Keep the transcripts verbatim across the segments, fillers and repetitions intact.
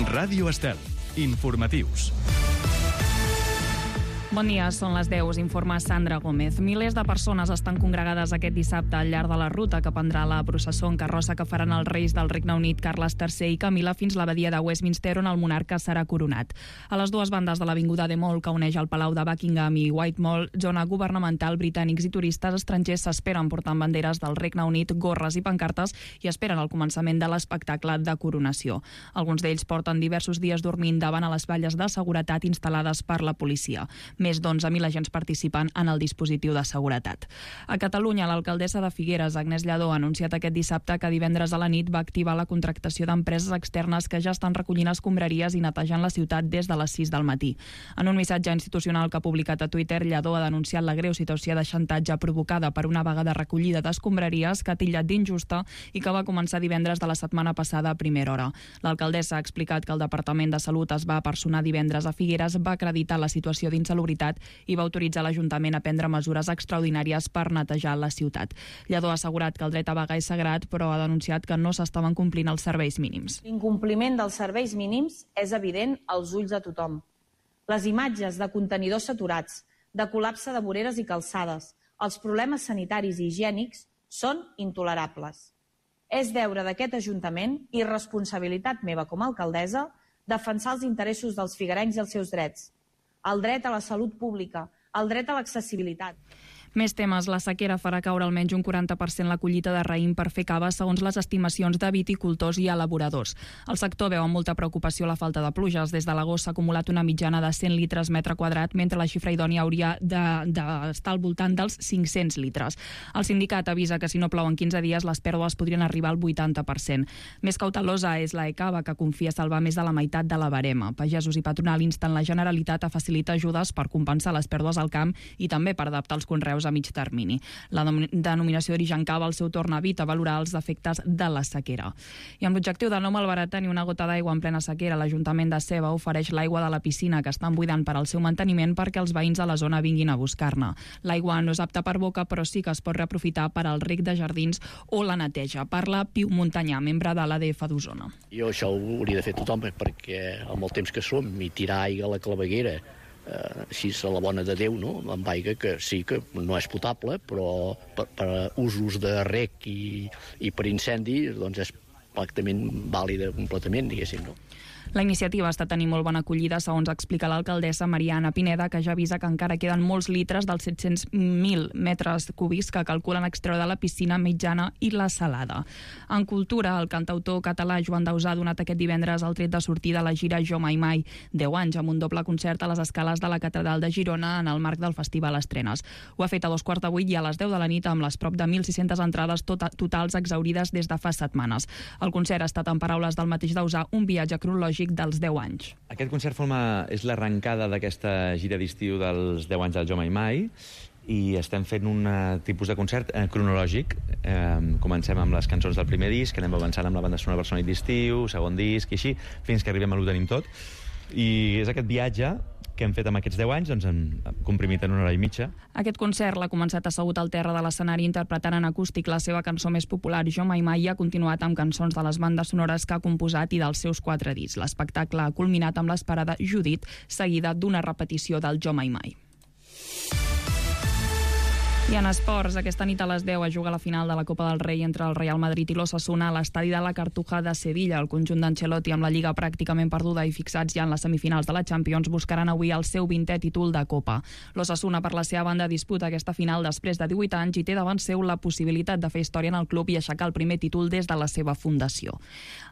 Ràdio Estel. Informatius. Bon dia, són les deu, us informa Sandra Gómez. Milers de persones estan congregades aquest dissabte al llarg de la ruta que prendrà la processó en carrossa que faran els reis del Regne Unit Carles tercer i Camila fins a l'abadia de Westminster, on el monarca serà coronat. A les dues bandes de l'avinguda de Mall, que uneix el Palau de Buckingham i Whitehall, zona governamental, britànics i turistes estrangers s'esperen portant banderes del Regne Unit, gorres i pancartes i esperen el començament de l'espectacle de coronació. Alguns d'ells porten diversos dies dormint davant a les valles de seguretat instal·lades per la policia. Més d'onze mil agents participen en el dispositiu de seguretat. A Catalunya, l'alcaldessa de Figueres, Agnès Lladó, ha anunciat aquest dissabte que divendres a la nit va activar la contractació d'empreses externes que ja estan recollint escombraries i netejant la ciutat des de les sis del matí. En un missatge institucional que ha publicat a Twitter, Lladó ha denunciat la greu situació de xantatge provocada per una vaga de recollida d'escombraries que ha titllat d'injusta i que va començar divendres de la setmana passada a primera hora. L'alcaldessa ha explicat que el Departament de Salut es va personar divendres a Figueres, va acreditar la situació d'insalubritat i va autoritzar l'Ajuntament a prendre mesures extraordinàries per netejar la ciutat. Lladó ha assegurat que el dret a vaga és sagrat, però ha denunciat que no s'estaven complint els serveis mínims. L'incompliment dels serveis mínims és evident als ulls de tothom. Les imatges de contenidors saturats, de col·lapse de voreres i calçades, els problemes sanitaris i higiènics són intolerables. És deure d'aquest Ajuntament i responsabilitat meva com a alcaldessa defensar els interessos dels figuerencs i els seus drets. El dret a la salut pública, el dret a l'accessibilitat. Més temes. La sequera farà caure almenys un quaranta per cent la collita de raïm per fer cava, segons les estimacions de viticultors i elaboradors. El sector veu amb molta preocupació la falta de pluges. Des de l'agost s'ha acumulat una mitjana de cent litres metre quadrat, mentre la xifra idònia hauria d'estar de, de al voltant dels cinc-cents litres. El sindicat avisa que si no plou en quinze dies les pèrdues podrien arribar al vuitanta per cent. Més cautelosa és la ECAVA, que confia salvar més de la meitat de la barema. Pagesos i patronal insten la Generalitat a facilitar ajudes per compensar les pèrdues al camp i també per adaptar els conreus a mig termini. La denominació d'origen cava al seu torn evita valorar els efectes de la sequera. I amb l'objectiu de no malbaratar ni una gota d'aigua en plena sequera, l'Ajuntament de Seva ofereix l'aigua de la piscina que estan buidant per al seu manteniment perquè els veïns de la zona vinguin a buscar-ne. L'aigua no és apta per boca, però sí que es pot reaprofitar per al reg de jardins o la neteja. Parla Piu Montanyà, membre de l'A D F d'Osona. Jo això ho hauria de fer tothom, perquè amb el temps que som i tirar aigua a la claveguera Uh, així a la bona de Déu, no? Amb aigua que sí que no és potable, però per, per usos de rec i, i per incendi doncs és pràcticament vàlida completament, diguéssim, no? La iniciativa està tenint molt bona acollida, segons explica l'alcaldessa Mariana Pineda, que ja avisa que encara queden molts litres dels set-cents mil metres cúbics que calculen extreure de la piscina mitjana i la salada. En cultura, el cantautor català Joan Dausà ha donat aquest divendres el tret de sortida a la gira Jo Mai Mai, deu anys, amb un doble concert a les escales de la Catedral de Girona en el marc del Festival Estrenes. Ho ha fet a dos quarts de vuit i a les deu de la nit amb les prop de mil sis-centes entrades tota, totals exaurides des de fa setmanes. El concert ha estat, en paraules del mateix Dausà, un viatge cronològic dels deu anys. Aquest concert forma, és l'arrencada d'aquesta gira d'estiu dels deu anys del Jo Mai Mai i estem fent un tipus de concert eh, cronològic. Eh, comencem amb les cançons del primer disc, anem avançant amb la banda sonora Barcelona d'estiu, segon disc i així, fins que arribem a l'Ho tenim tot. I és aquest viatge que hem fet amb aquests deu anys, doncs hem comprimit en una hora i mitja. Aquest concert l'ha començat assegut al terra de l'escenari interpretant en acústic la seva cançó més popular, Jo Mai Mai, i ha continuat amb cançons de les bandes sonores que ha composat i dels seus quatre discs. L'espectacle ha culminat amb l'esperada Judit, seguida d'una repetició del Jo Mai Mai. I en esports, aquesta nit a les deu es juga la final de la Copa del Rei entre el Real Madrid i l'Osasuna a l'estadi de la Cartuja de Sevilla. El conjunt d'Ancelotti, amb la Lliga pràcticament perduda i fixats ja en les semifinals de la Champions, buscaran avui el seu vintè títol de Copa. L'Osasuna, per la seva banda, disputa aquesta final després de divuit anys i té davant seu la possibilitat de fer història en el club i aixecar el primer títol des de la seva fundació.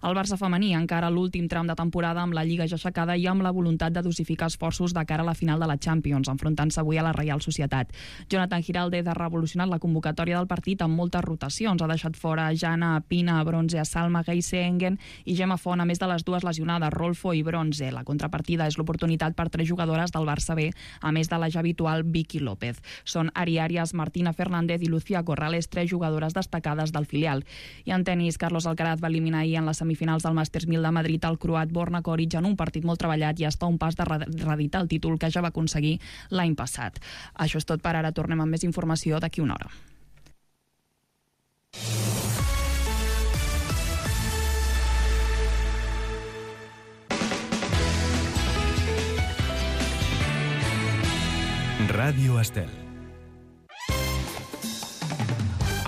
El Barça femení encara l'últim tram de temporada amb la Lliga ja aixecada i amb la voluntat de dosificar esforços de cara a la final de la Champions, enfrontant-se avui a la Reial Societat. Jonathan Giralde ha revolucionat la convocatòria del partit amb moltes rotacions. Ha deixat fora a Jana, a Pina, a Bronze, a Salma, Geise Engen i Gemma Font, a més de les dues lesionades, Rolfo i Bronze. La contrapartida és l'oportunitat per tres jugadores del Barça B, a més de la ja habitual Vicky López. Són Ari Arias, Martina Fernández i Lucía Corrales, tres jugadores destacades del filial. I en tenis, Carlos Alcaraz va eliminar ahir en les semifinals del Masters mil de Madrid el croat Borna Koric en un partit molt treballat i està a un pas de reeditar el títol que ja va aconseguir l'any passat. Això és tot per ara. Tornem amb més informació d'aquí una hora. Ràdio Estel.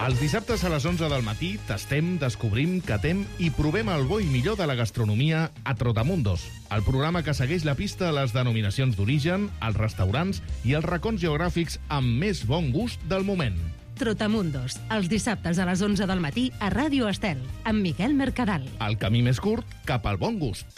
Els dissabtes a les onze del matí tastem, descobrim, catem i provem el bo i millor de la gastronomia a Trotamundos, el programa que segueix la pista a les denominacions d'origen, els restaurants i els racons geogràfics amb més bon gust del moment. Trotamundos, els dissabtes a les onze del matí a Ràdio Estel, amb Miquel Mercadal. El camí més curt cap al bon gust.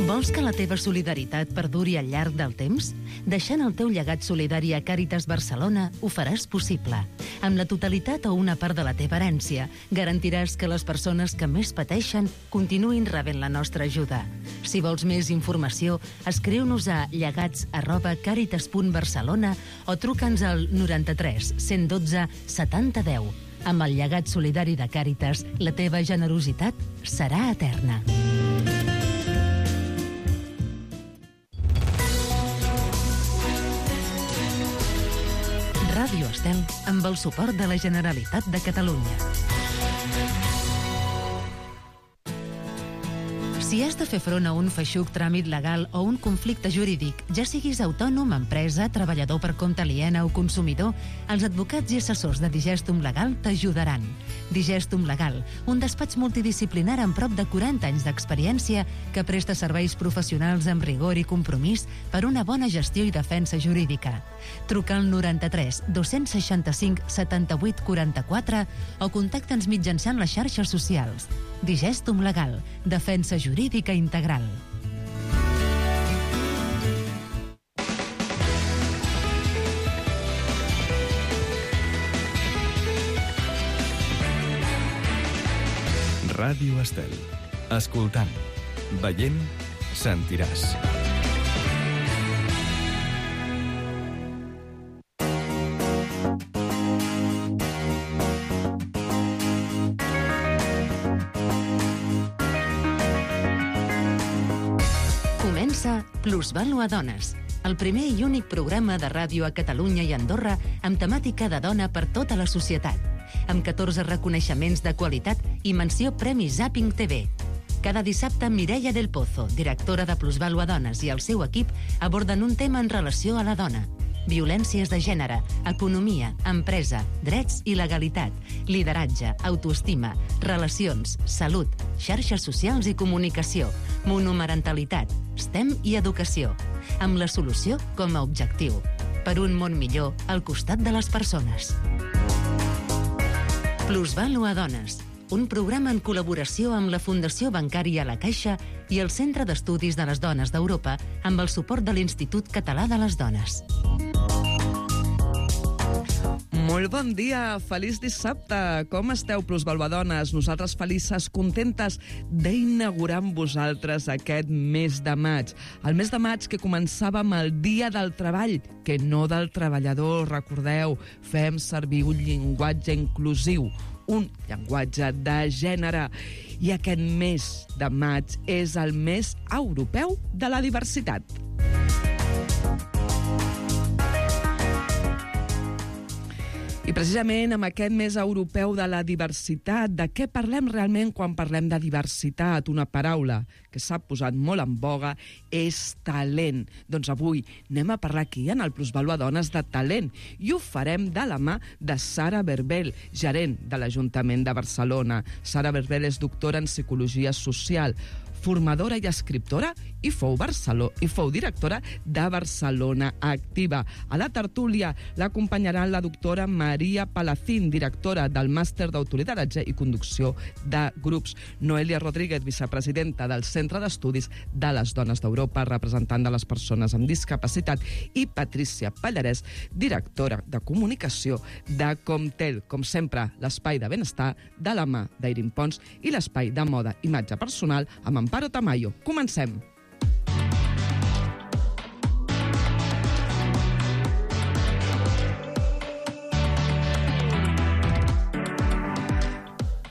Vols que la teva solidaritat perduri al llarg del temps? Deixant el teu llegat solidari a Càritas Barcelona ho faràs possible. Amb la totalitat o una part de la teva herència, garantiràs que les persones que més pateixen continuïn rebent la nostra ajuda. Si vols més informació, escriu-nos a llegats arroba càritas punt barcelona o truca'ns al noranta-tres cent dotze setanta deu. Amb el llegat solidari de Càritas, la teva generositat serà eterna. Ràdio Estel, amb el suport de la Generalitat de Catalunya. Si has de fer front a un feixuc tràmit legal o un conflicte jurídic, ja siguis autònom, empresa, treballador per compte aliena o consumidor, els advocats i assessors de Digestum Legal t'ajudaran. Digestum Legal, un despatx multidisciplinar amb prop de quaranta anys d'experiència que presta serveis professionals amb rigor i compromís per una bona gestió i defensa jurídica. Truca al noranta-tres dos-cents seixanta-cinc setanta-vuit quaranta-quatre o contacta'ns mitjançant les xarxes socials. Digestum Legal, defensa jurídica integral. Ràdio Estel. Escoltant, veient, sentiràs. Plusvàlua Dones, el primer i únic programa de ràdio a Catalunya i Andorra amb temàtica de dona per tota la societat, amb catorze reconeixements de qualitat i menció Premi Zapping T V. Cada dissabte, Mireia del Pozo, directora de Plusvàlua Dones, i el seu equip aborden un tema en relació a la dona. Violències de gènere, economia, empresa, drets i legalitat, lideratge, autoestima, relacions, salut, xarxes socials i comunicació, monomarentalitat, STEM i educació, amb la solució com a objectiu. Per un món millor al costat de les persones. Plusvàlua Dones, un programa en col·laboració amb la Fundació Bancària La Caixa i el Centre d'Estudis de les Dones d'Europa amb el suport de l'Institut Català de les Dones. Molt bon dia, feliç dissabte. Com esteu, plusvàluadones? Nosaltres felices, contentes d'inaugurar amb vosaltres aquest mes de maig. El mes de maig que començava amb el Dia del Treball, que no del treballador, recordeu, fem servir un llenguatge inclusiu, un llenguatge de gènere. I aquest mes de maig és el mes europeu de la diversitat. I precisament amb aquest mes europeu de la diversitat, de què parlem realment quan parlem de diversitat? Una paraula que s'ha posat molt en boga és talent. Doncs avui anem a parlar aquí en el Plusvàlua Dones de talent i ho farem de la mà de Sara Berbel, gerent de l'Ajuntament de Barcelona. Sara Berbel és doctora en Psicologia Social, formadora i escriptora i fou, Barcelona, i fou directora de Barcelona Activa. A la tertúlia l'acompanyaran la doctora Maria Palacín, directora del Màster d'Autoritatge i Conducció de Grups, Noelia Rodríguez, vicepresidenta del Centre d'Estudis de les Dones d'Europa, representant de les persones amb discapacitat, i Patrícia Pallarès, directora de Comunicació de Comtel. Com sempre, l'espai de benestar de la mà d'Irin Pons i l'espai de moda i imatge personal amb Amparo Tamayo. Comencem!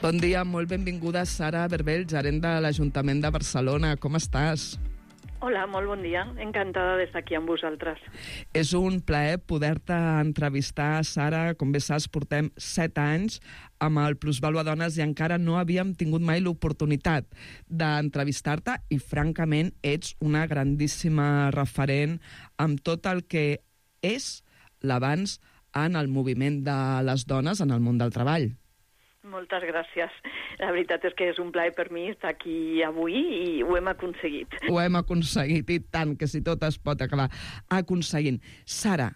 Bon dia, molt benvinguda Sara Berbel, gerent de l'Ajuntament de Barcelona. Com estàs? Hola, molt bon dia. Encantada d'estar aquí amb vosaltres. És un plaer poder-te entrevistar, Sara. Com bé saps, portem set anys amb el Plusvàlua Dones i encara no havíem tingut mai l'oportunitat d'entrevistar-te i, francament, ets una grandíssima referent amb tot el que és l'avanç en el moviment de les dones en el món del treball. Moltes gràcies. La veritat és que és un plaer per mi estar aquí avui i ho hem aconseguit. Ho hem aconseguit, i tant, que si tot es pot acabar aconseguint. Sara,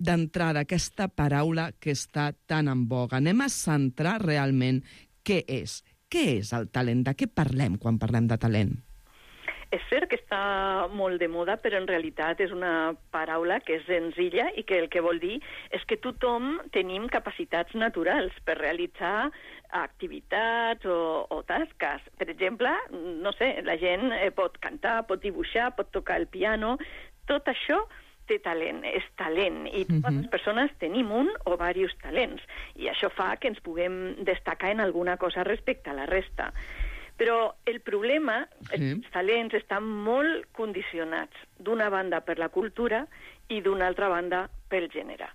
d'entrada, aquesta paraula que està tan en boga, anem a centrar realment què és. Què és el talent? De què parlem quan parlem de talent? És cert que està molt de moda, però en realitat és una paraula que és senzilla i que el que vol dir és que tothom tenim capacitats naturals per realitzar activitats o, o tasques. Per exemple, no sé, la gent pot cantar, pot dibuixar, pot tocar el piano. Tot això té talent, és talent, i totes uh-huh. les persones tenim un o diversos talents, i això fa que ens puguem destacar en alguna cosa respecte a la resta. Però el problema, sí. els talents estan molt condicionats, d'una banda per la cultura i d'una altra banda pel gènere.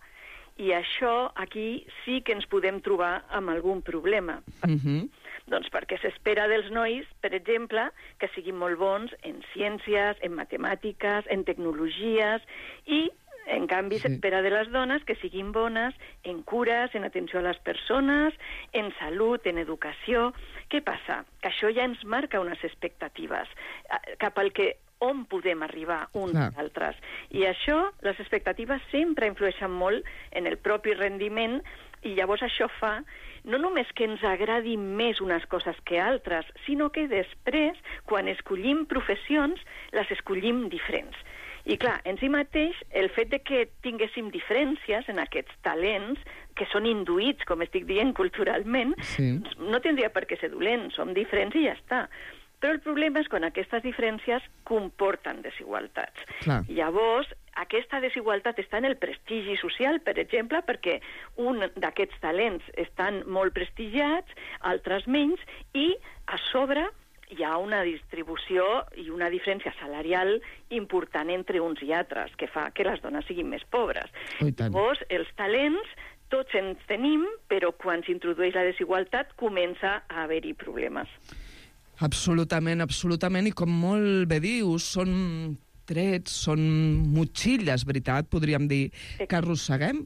I això aquí sí que ens podem trobar amb algun problema. Uh-huh. Doncs perquè s'espera dels nois, per exemple, que siguin molt bons en ciències, en matemàtiques, en tecnologies, i en canvi, sí. s'espera de les dones que siguin bones en cures, en atenció a les persones, en salut, en educació. Què passa? Que això ja ens marca unes expectatives cap al que on podem arribar uns i altres. I això, les expectatives sempre influeixen molt en el propi rendiment, i llavors això fa no només que ens agradi més unes coses que altres, sinó que després, quan escollim professions, les escollim diferents. I clar, en si mateix, el fet de que tinguéssim diferències en aquests talents, que són induïts, com estic dient, culturalment, sí. no tindria per què ser dolent, som diferents i ja està. Però el problema és quan aquestes diferències comporten desigualtats. Clar. Llavors, aquesta desigualtat està en el prestigi social, per exemple, perquè un d'aquests talents estan molt prestigiats, altres menys, i a sobre hi ha una distribució i una diferència salarial important entre uns i altres, que fa que les dones siguin més pobres. Llavors, els talents tots ens tenim, però quan s'introdueix la desigualtat comença a haver-hi problemes. Absolutament, absolutament, i com molt bé dius, són trets, són motxilles, veritat, podríem dir, que arrosseguem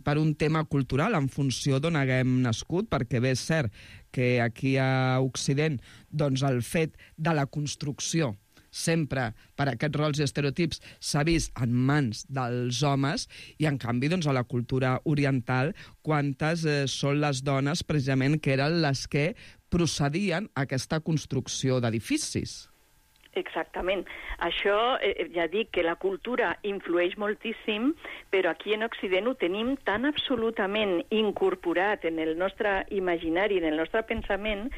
per un tema cultural en funció d'on haguem nascut, perquè bé és cert que aquí a Occident doncs el fet de la construcció sempre per aquests rols i estereotips s'ha vist en mans dels homes, i en canvi doncs, a la cultura oriental quantes eh, són les dones precisament que eren les que procedien a aquesta construcció d'edificis. Exactament. Això, eh, ja dic que la cultura influeix moltíssim, però aquí en Occident ho tenim tan absolutament incorporat en el nostre imaginari, en el nostre pensament,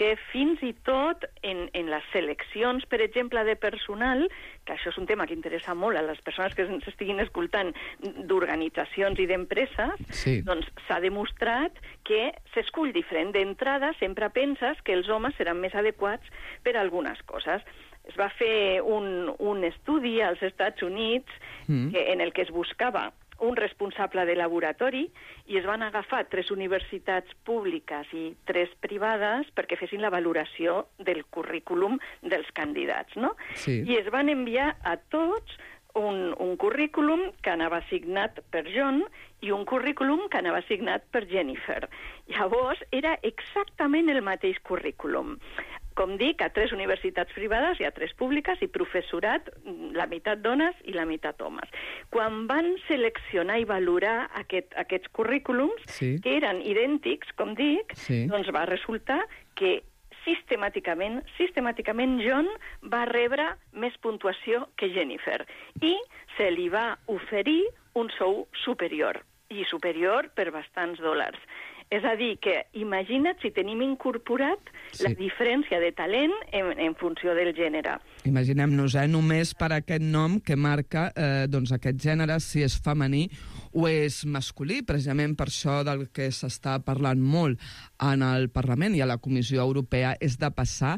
que fins i tot en, en les seleccions, per exemple, de personal, que això és un tema que interessa molt a les persones que ens estiguin escoltant d'organitzacions i d'empreses, sí. doncs s'ha demostrat que s'escull diferent. D'entrada sempre penses que els homes seran més adequats per a algunes coses. Es va fer un, un estudi als Estats Units mm. que, en el que es buscava un responsable de laboratori, i es van agafar tres universitats públiques i tres privades perquè fessin la valoració del currículum dels candidats, no? Sí. I es van enviar a tots un, un currículum que anava signat per John i un currículum que anava signat per Jennifer. Llavors, era exactament el mateix currículum. Com dic, a tres universitats privades i a tres públiques, i professorat, la meitat dones i la meitat homes. Quan van seleccionar i valorar aquest, aquests currículums, sí. que eren idèntics, com dic, sí. doncs va resultar que sistemàticament, sistemàticament John va rebre més puntuació que Jennifer, i se li va oferir un sou superior, i superior per bastants dòlars. És a dir, que imagina't si tenim incorporat sí. la diferència de talent en, en funció del gènere. Imaginem-nos, eh, només per aquest nom que marca eh, doncs aquest gènere, si és femení o és masculí, precisament per això del que s'està parlant molt en el Parlament i a la Comissió Europea, és de passar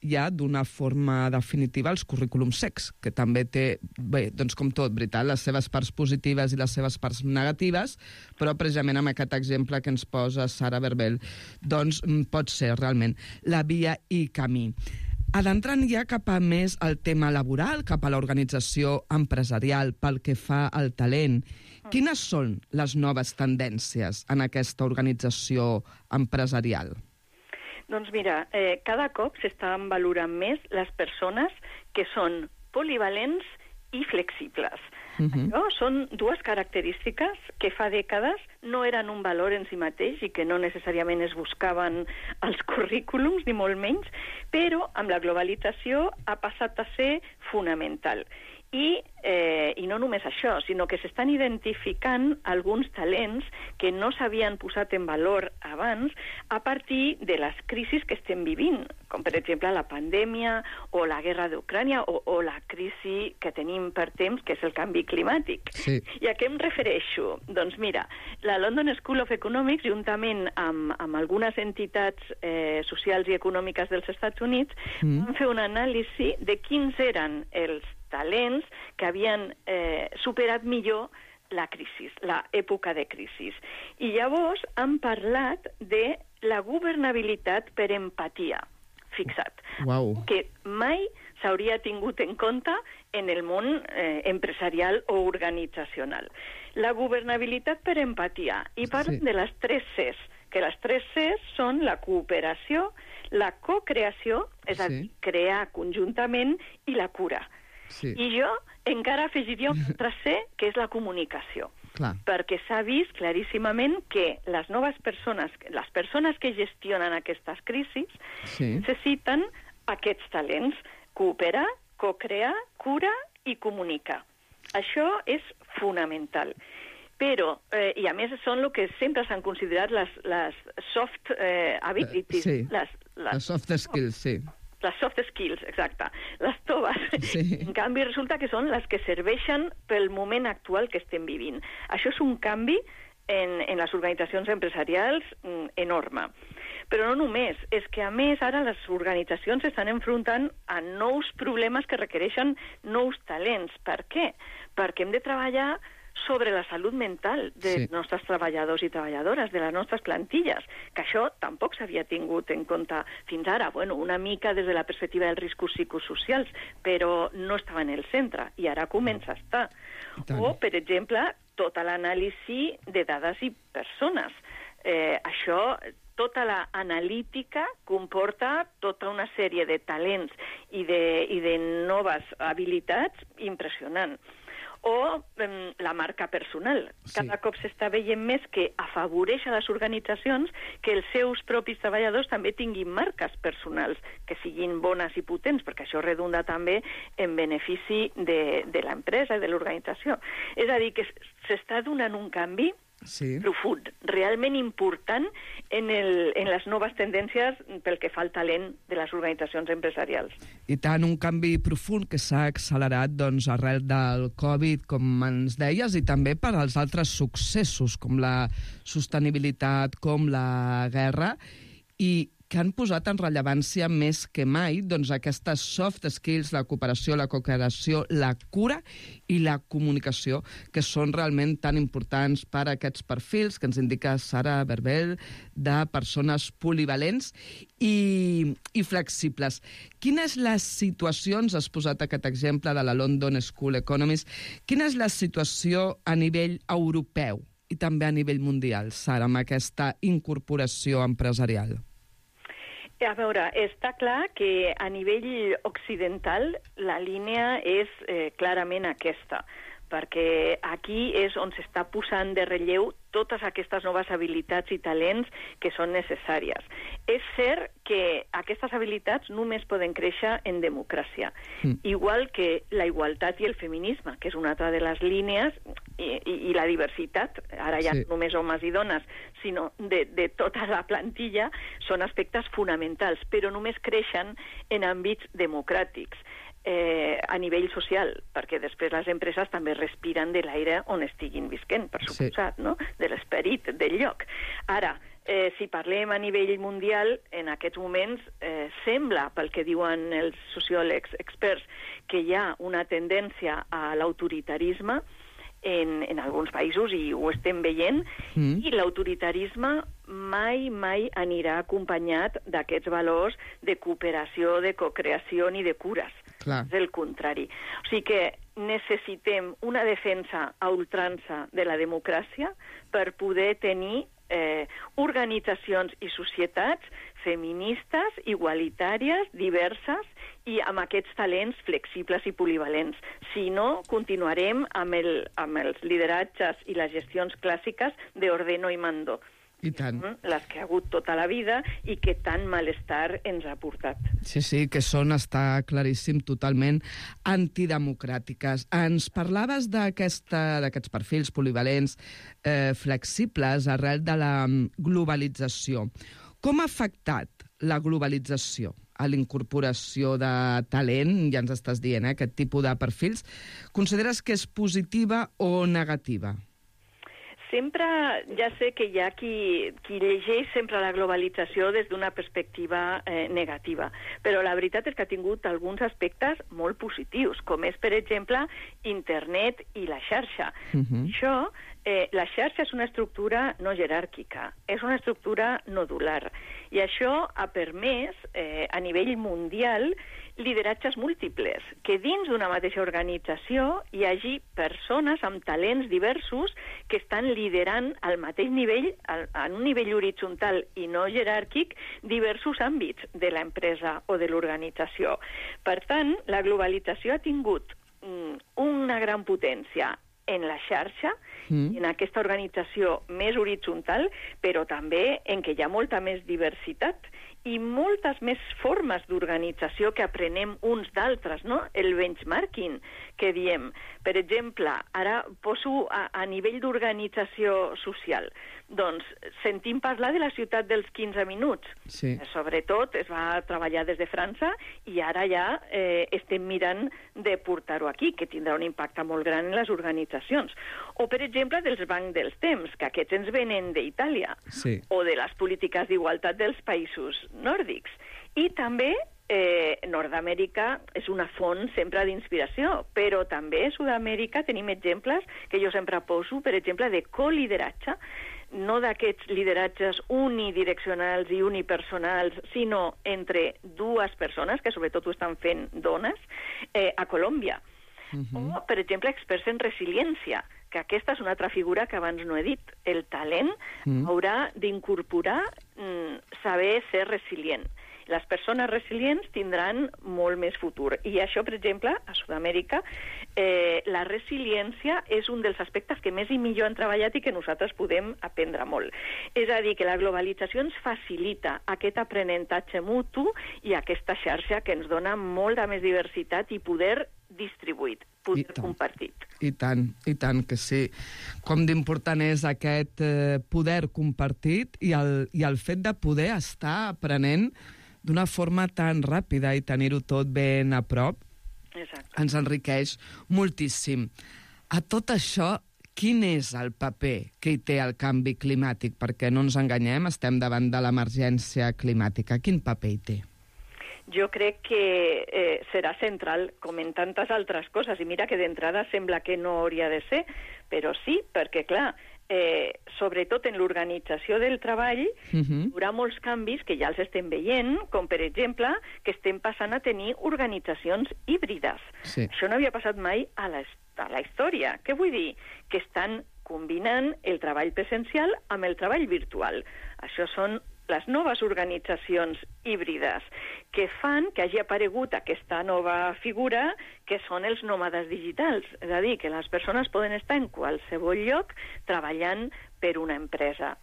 ja d'una forma definitiva els currículums secs, que també té, bé, doncs com tot, veritat, les seves parts positives i les seves parts negatives, però precisament amb aquest exemple que ens posa Sara Berbel, doncs pot ser realment la via i camí. Adentrant ja cap a més el tema laboral, cap a l'organització empresarial pel que fa al talent, quines són les noves tendències en aquesta organització empresarial? Doncs mira, eh, cada cop s'estan valorant més les persones que són polivalents i flexibles. Uh-huh. Això són dues característiques que fa dècades no eren un valor en si mateix i que no necessàriament es buscaven als currículums, ni molt menys, però amb la globalització ha passat a ser fonamental. I, eh, I no només això, sinó que s'estan identificant alguns talents que no s'havien posat en valor abans a partir de les crisis que estem vivint, com per exemple la pandèmia o la guerra d'Ucrània o, o la crisi que tenim per temps, que és el canvi climàtic. Sí. I a què em refereixo? Doncs mira, la London School of Economics, juntament amb, amb algunes entitats eh, socials i econòmiques dels Estats Units, mm. van fer un anàlisi de quins eren els talents que havien eh, superat millor la crisi, l'època de crisi. I llavors han parlat de la governabilitat per empatia. Fixa't. Wow. Que mai s'hauria tingut en compte en el món eh, empresarial o organitzacional. La governabilitat per empatia. I parlen sí. de les tres Cs, que les tres Cs són la cooperació, la cocreació, és sí. a dir, crear conjuntament, i la cura. Sí. I jo encara afegiria un altre C, que és la comunicació. Clar. Perquè s'ha vist claríssimament que les noves persones, les persones que gestionen aquestes crisis, sí. necessiten aquests talents: cooperar, cocrear, cura i comunicar. Això és fonamental. Però, eh, i a més són el que sempre s'han considerat les, les soft eh, abilities. Sí, les, les, les soft skills, sí. Les soft skills, exacte. Les toves. Sí. En canvi, resulta que són les que serveixen pel moment actual que estem vivint. Això és un canvi en, en les organitzacions empresarials mm, enorme. Però no només, és que a més ara les organitzacions s'estan enfrontant a nous problemes que requereixen nous talents. Per què? Perquè hem de treballar sobre la salut mental dels sí. nostres treballadors i treballadores, de les nostres plantilles, que això tampoc s'havia tingut en compte fins ara. Bueno, una mica des de la perspectiva dels riscos psicosocials, però no estava en el centre, i ara comença a estar. O, per exemple, tota l'anàlisi de dades i persones. Eh, això, tota l'analítica comporta tota una sèrie de talents i de, i de noves habilitats impressionant. O eh, la marca personal. Cada sí. cop s'està veient més que afavoreix a les organitzacions que els seus propis treballadors també tinguin marques personals, que siguin bones i potents, perquè això redunda també en benefici de, de l'empresa i de l'organització. És a dir, que s'està donant un canvi sí. profund, realment important en, el, en les noves tendències pel que fa al talent de les organitzacions empresarials. I tant, un canvi profund que s'ha accelerat doncs, arrel del Covid, com ens deies, i també per als altres successos, com la sostenibilitat, com la guerra, i que han posat en rellevància més que mai doncs, aquestes soft skills, la cooperació, la cooperació, la cura i la comunicació, que són realment tan importants per a aquests perfils que ens indica Sara Berbel, de persones polivalents i, i flexibles. Quines les situacions, has posat aquest exemple de la London School Economics, quina és la situació a nivell europeu i també a nivell mundial, Sara, amb aquesta incorporació empresarial? A veure, està clar que a nivell occidental la línia és eh, clarament aquesta, perquè aquí és on s'està posant de relleu totes aquestes noves habilitats i talents que són necessàries. És cert que aquestes habilitats només poden créixer en democràcia, mm. igual que la igualtat i el feminisme, que és una altra de les línies, i, i, i la diversitat, ara ja sí. no només homes i dones, sinó de, de tota la plantilla, són aspectes fonamentals, però només creixen en àmbits democràtics. eh, a nivell social, perquè després les empreses també respiren de l'aire on estiguin visquent, per suposat, sí. no? De l'esperit del lloc. Ara, eh, si parlem a nivell mundial, en aquests moments eh, sembla, pel que diuen els sociòlegs experts, que hi ha una tendència a l'autoritarisme en, en alguns països, i ho estem veient, mm. i l'autoritarisme mai, mai anirà acompanyat d'aquests valors de cooperació, de cocreació ni de cures. Clar. És el contrari. O sigui que necessitem una defensa a ultrança de la democràcia per poder tenir eh, organitzacions i societats feministes, igualitàries, diverses i amb aquests talents flexibles i polivalents. Si no, continuarem amb, el, amb els lideratges i les gestions clàssiques d'ordeno i mando. I tant. Les que ha hagut tota la vida i que tant malestar ens ha portat. Sí, sí, que són, està claríssim, totalment antidemocràtiques. Ens parlaves d'aquests perfils polivalents, eh, flexibles, arrel de la globalització. Com ha afectat la globalització a l'incorporació de talent, ja ens estàs dient, eh, aquest tipus de perfils? Consideres que és positiva o negativa? Sempre, ja sé que hi ha qui, qui llegeix sempre la globalització des d'una perspectiva eh, negativa, però la veritat és que ha tingut alguns aspectes molt positius, com és, per exemple, internet i la xarxa. Uh-huh. Això, eh, la xarxa és una estructura no jeràrquica, és una estructura nodular, i això ha permès, eh, a nivell mundial, lideratges múltiples, que dins d'una mateixa organització hi hagi persones amb talents diversos que estan liderant al mateix nivell, al, en un nivell horitzontal i no jeràrquic, diversos àmbits de l'empresa o de l'organització. Per tant, la globalització ha tingut mm, una gran potència en la xarxa, mm. en aquesta organització més horitzontal, però també en què hi ha molta més diversitat i moltes més formes d'organització que aprenem uns d'altres, no? El benchmarking, que diem. Per exemple, ara poso a, a nivell d'organització social. Doncs sentim parlar de la ciutat dels quinze minuts. Sí. Sobretot es va treballar des de França i ara ja eh, estem mirant de portar-ho aquí, que tindrà un impacte molt gran en les organitzacions. O, per exemple, dels bancs dels temps, que aquests ens venen d'Itàlia. Sí. O de les polítiques d'igualtat dels països nòrdics. I també eh, Nord-Amèrica és una font sempre d'inspiració, però també a Sud-amèrica tenim exemples que jo sempre poso, per exemple, de colideratge, no d'aquests lideratges unidireccionals i unipersonals, sinó entre dues persones, que sobretot ho estan fent dones, eh, a Colòmbia. Uh-huh. O, per exemple, experts en resiliència, que aquesta és una altra figura que abans no he dit. El talent uh-huh. haurà d'incorporar mm, saber ser resilient. Les persones resilients tindran molt més futur. I això, per exemple, a Sud-amèrica, eh, la resiliència és un dels aspectes que més i millor han treballat i que nosaltres podem aprendre molt. És a dir, que la globalització ens facilita aquest aprenentatge mutu i aquesta xarxa que ens dona molta més diversitat i poder distribuït, poder I compartit. I tant, i tant que sí. Com d'important és aquest eh, poder compartit i el, i el fet de poder estar aprenent d'una forma tan ràpida i tenir-ho tot ben a prop. Exacte. Ens enriqueix moltíssim. A tot això, quin és el paper que hi té el canvi climàtic? Perquè no ens enganyem, estem davant de l'emergència climàtica. Quin paper hi té? Jo crec que eh, serà central, com en tantes altres coses, i mira que d'entrada sembla que no hauria de ser, però sí, perquè, clar, eh, sobretot en l'organització del treball, uh-huh. hi haurà molts canvis que ja els estem veient, com per exemple que estem passant a tenir organitzacions híbrides. Sí. Això no havia passat mai a la, a la història. Què vull dir? Que estan combinant el treball presencial amb el treball virtual. Això són les noves organitzacions híbrides que fan que hagi aparegut aquesta nova figura que són els nòmades digitals. És a dir, que les persones poden estar en qualsevol lloc treballant per una empresa.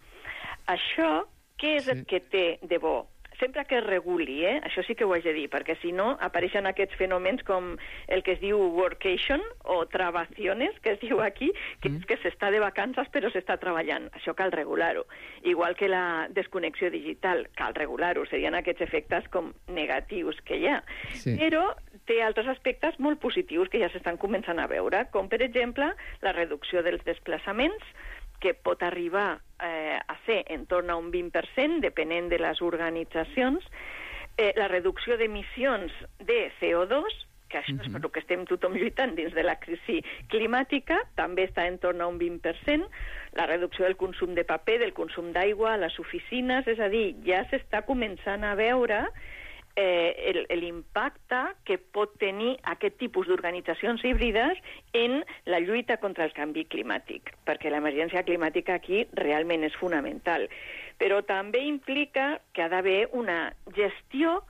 Això, què és sí. el que té de bo? sempre que es reguli, eh? Això sí que ho haig de dir, perquè si no apareixen aquests fenòmens com el que es diu workation o trabaciones, que es diu aquí, que mm. és que s'està de vacances però s'està treballant. Això cal regular-ho. Igual que la desconnexió digital, cal regular-ho. Serien aquests efectes com negatius que hi ha. Sí. Però té altres aspectes molt positius que ja s'estan començant a veure, com per exemple la reducció dels desplaçaments, que pot arribar eh, a ser en torn a un vint per cent, depenent de les organitzacions, eh, la reducció d'emissions de C O dos, que això uh-huh. és per el que estem tothom lluitant dins de la crisi climàtica, també està en torn a un vint per cent, la reducció del consum de paper, del consum d'aigua a les oficines, és a dir, ja s'està començant a veure Eh, l'impacte que pot tenir aquest tipus d'organitzacions híbrides en la lluita contra el canvi climàtic, perquè l'emergència climàtica aquí realment és fonamental. Però també implica que ha d'haver una gestió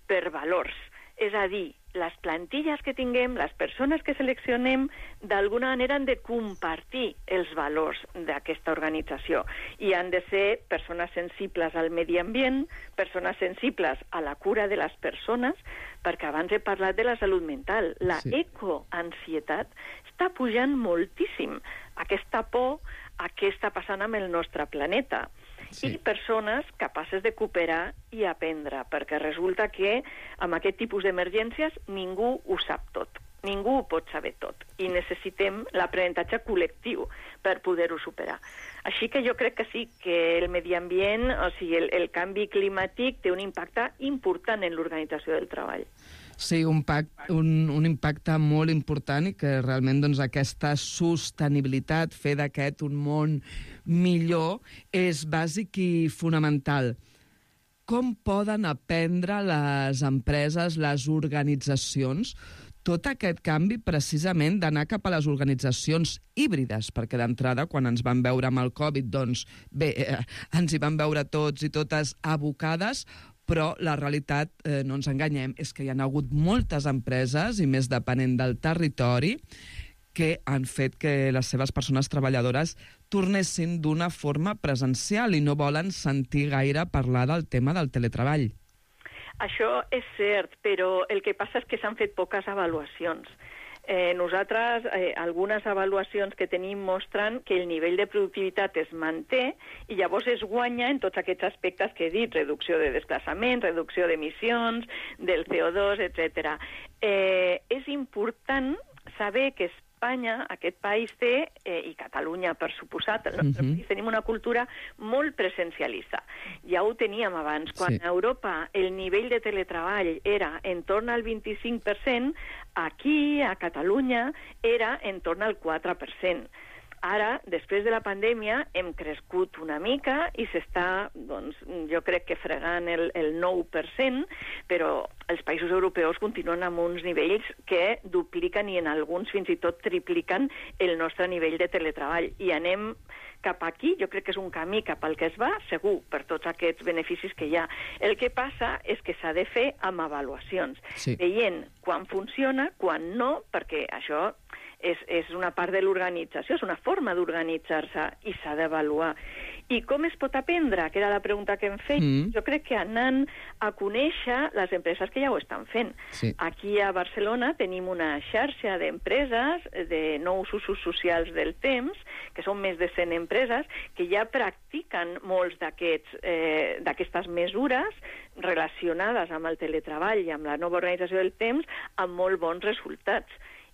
per valors, és a dir, les plantilles que tinguem, les persones que seleccionem, d'alguna manera han de compartir els valors d'aquesta organització i han de ser persones sensibles al medi ambient, persones sensibles a la cura de les persones, perquè abans he parlat de la salut mental. La sí. ecoansietat està pujant moltíssim. Aquesta por a què està passant amb el nostre planeta. Sí. I persones capaces de cooperar i aprendre, perquè resulta que amb aquest tipus d'emergències ningú ho sap tot, ningú ho pot saber tot, i necessitem l'aprenentatge col·lectiu per poder-ho superar. Així que jo crec que sí, que el medi ambient, o sigui, el, el canvi climàtic té un impacte important en l'organització del treball. Sí, un, pact, un, un impacte molt important i que realment doncs, aquesta sostenibilitat, fer d'aquest un món millor, és bàsic i fonamental. Com poden aprendre les empreses, les organitzacions, tot aquest canvi precisament d'anar cap a les organitzacions híbrides? Perquè d'entrada, quan ens van veure amb el Covid, doncs bé, eh, ens hi van veure tots i totes abocades, però la realitat, eh, no ens enganyem, és que hi ha hagut moltes empreses, i més depenent del territori, que han fet que les seves persones treballadores tornessin d'una forma presencial i no volen sentir gaire parlar del tema del teletreball. Això és cert, però el que passa és que s'han fet poques avaluacions. Eh, nosaltres, eh, algunes avaluacions que tenim mostren que el nivell de productivitat es manté i llavors es guanya en tots aquests aspectes que he dit, reducció de desplaçament, reducció d'emissions, del C O dos, etcètera. Eh, és important saber que Espanya, aquest país té, eh, i Catalunya per suposat, el nostre uh-huh. país, tenim una cultura molt presencialista. Ja ho teníem abans. Quan sí. a Europa el nivell de teletreball era en torn al vint-i-cinc per cent, aquí, a Catalunya, era en torn al quatre per cent. Ara, després de la pandèmia, hem crescut una mica i s'està, doncs, jo crec que fregant el, el nou per cent, però els països europeus continuen amb uns nivells que dupliquen i en alguns fins i tot tripliquen el nostre nivell de teletreball. I anem cap aquí, jo crec que és un camí cap al que es va, segur, per tots aquests beneficis que hi ha. El que passa és que s'ha de fer amb avaluacions, sí. veient quan funciona, quan no, perquè això és, és una part de l'organització, és una forma d'organitzar-se i s'ha d'avaluar. I com es pot aprendre? Que era la pregunta que em feia. Mm. Jo crec que anant a conèixer les empreses que ja ho estan fent. Sí. Aquí a Barcelona tenim una xarxa d'empreses de nous usos socials del temps, que són més de cent empreses, que ja practiquen molts d'aquests eh, d'aquestes mesures relacionades amb el teletreball i amb la nova organització del temps amb molt bons resultats.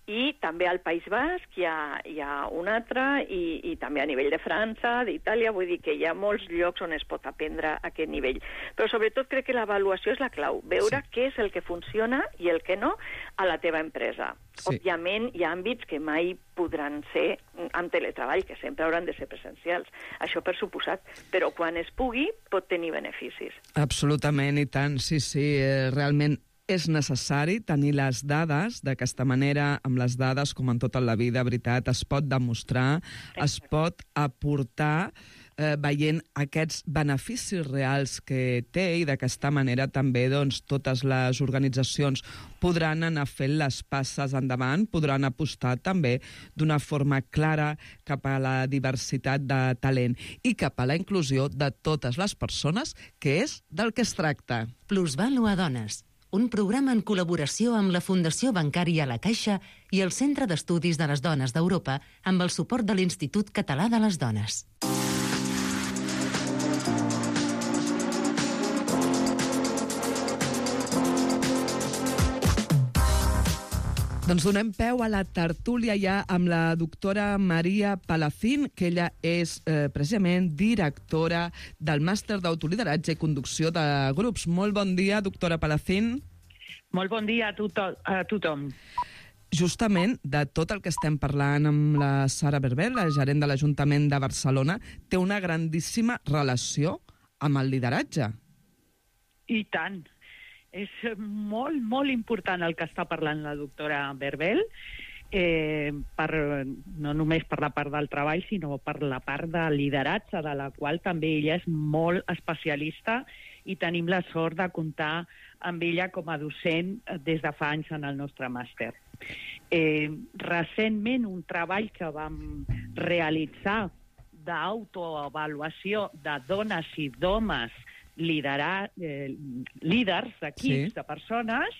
I també al País Basc hi ha, hi ha un altre, i, i també a nivell de França, d'Itàlia, vull dir que hi ha molts llocs on es pot aprendre a aquest nivell. Però sobretot crec que l'avaluació és la clau, veure sí. què és el que funciona i el que no a la teva empresa. Sí. Òbviament hi ha àmbits que mai podran ser amb teletreball, que sempre hauran de ser presencials. Això per suposat, però quan es pugui pot tenir beneficis. Absolutament, i tant, sí, sí, eh, realment és necessari tenir les dades. D'aquesta manera, amb les dades, com en tota la vida, veritat, es pot demostrar, es pot aportar eh, veient aquests beneficis reals que té i d'aquesta manera també doncs, totes les organitzacions podran anar fent les passes endavant, podran apostar també d'una forma clara cap a la diversitat de talent i cap a la inclusió de totes les persones, que és del que es tracta. Plusvalua Dones, un programa en col·laboració amb la Fundació Bancària La Caixa i el Centre d'Estudis de les Dones d'Europa amb el suport de l'Institut Català de les Dones. Doncs donem peu a la tertúlia ja amb la doctora Maria Palacín, que ella és eh, precisament directora del Màster d'Autolideratge i Conducció de Grups. Molt bon dia, doctora Palacín. Molt bon dia a, to a tothom. Justament de tot el que estem parlant amb la Sara Berbel, la gerent de l'Ajuntament de Barcelona, té una grandíssima relació amb el lideratge. I tant. És molt, molt important el que està parlant la doctora Berbel, eh, per, no només per la part del treball, sinó per la part de lideratge, de la qual també ella és molt especialista i tenim la sort de comptar amb ella com a docent des de fa anys en el nostre màster. Eh, recentment, un treball que vam realitzar d'autoavaluació de dones i d'homes liderar, eh, líders d'equips, sí. de persones,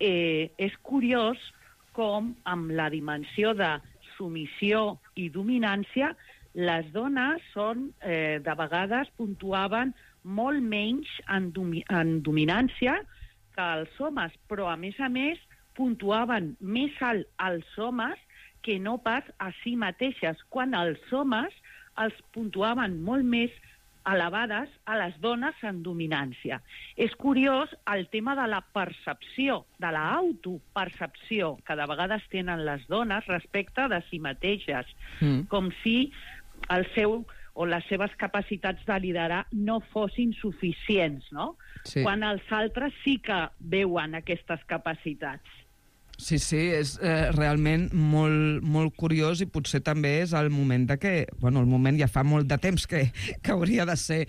eh, és curiós com amb la dimensió de submissió i dominància les dones són, eh, de vegades puntuaven molt menys en, domi en dominància que els homes, però a més a més puntuaven més alt als homes que no pas a si mateixes, quan els homes els puntuaven molt més elevades a les dones en dominància. És curiós el tema de la percepció, de l'autopercepció, que de vegades tenen les dones respecte de si mateixes, mm. com si el seu o les seves capacitats de liderar no fossin suficients, no? Sí. Quan els altres sí que veuen aquestes capacitats. Sí, sí, és eh, realment molt, molt curiós i potser també és el moment de que... Bueno, el moment ja fa molt de temps que, que hauria de ser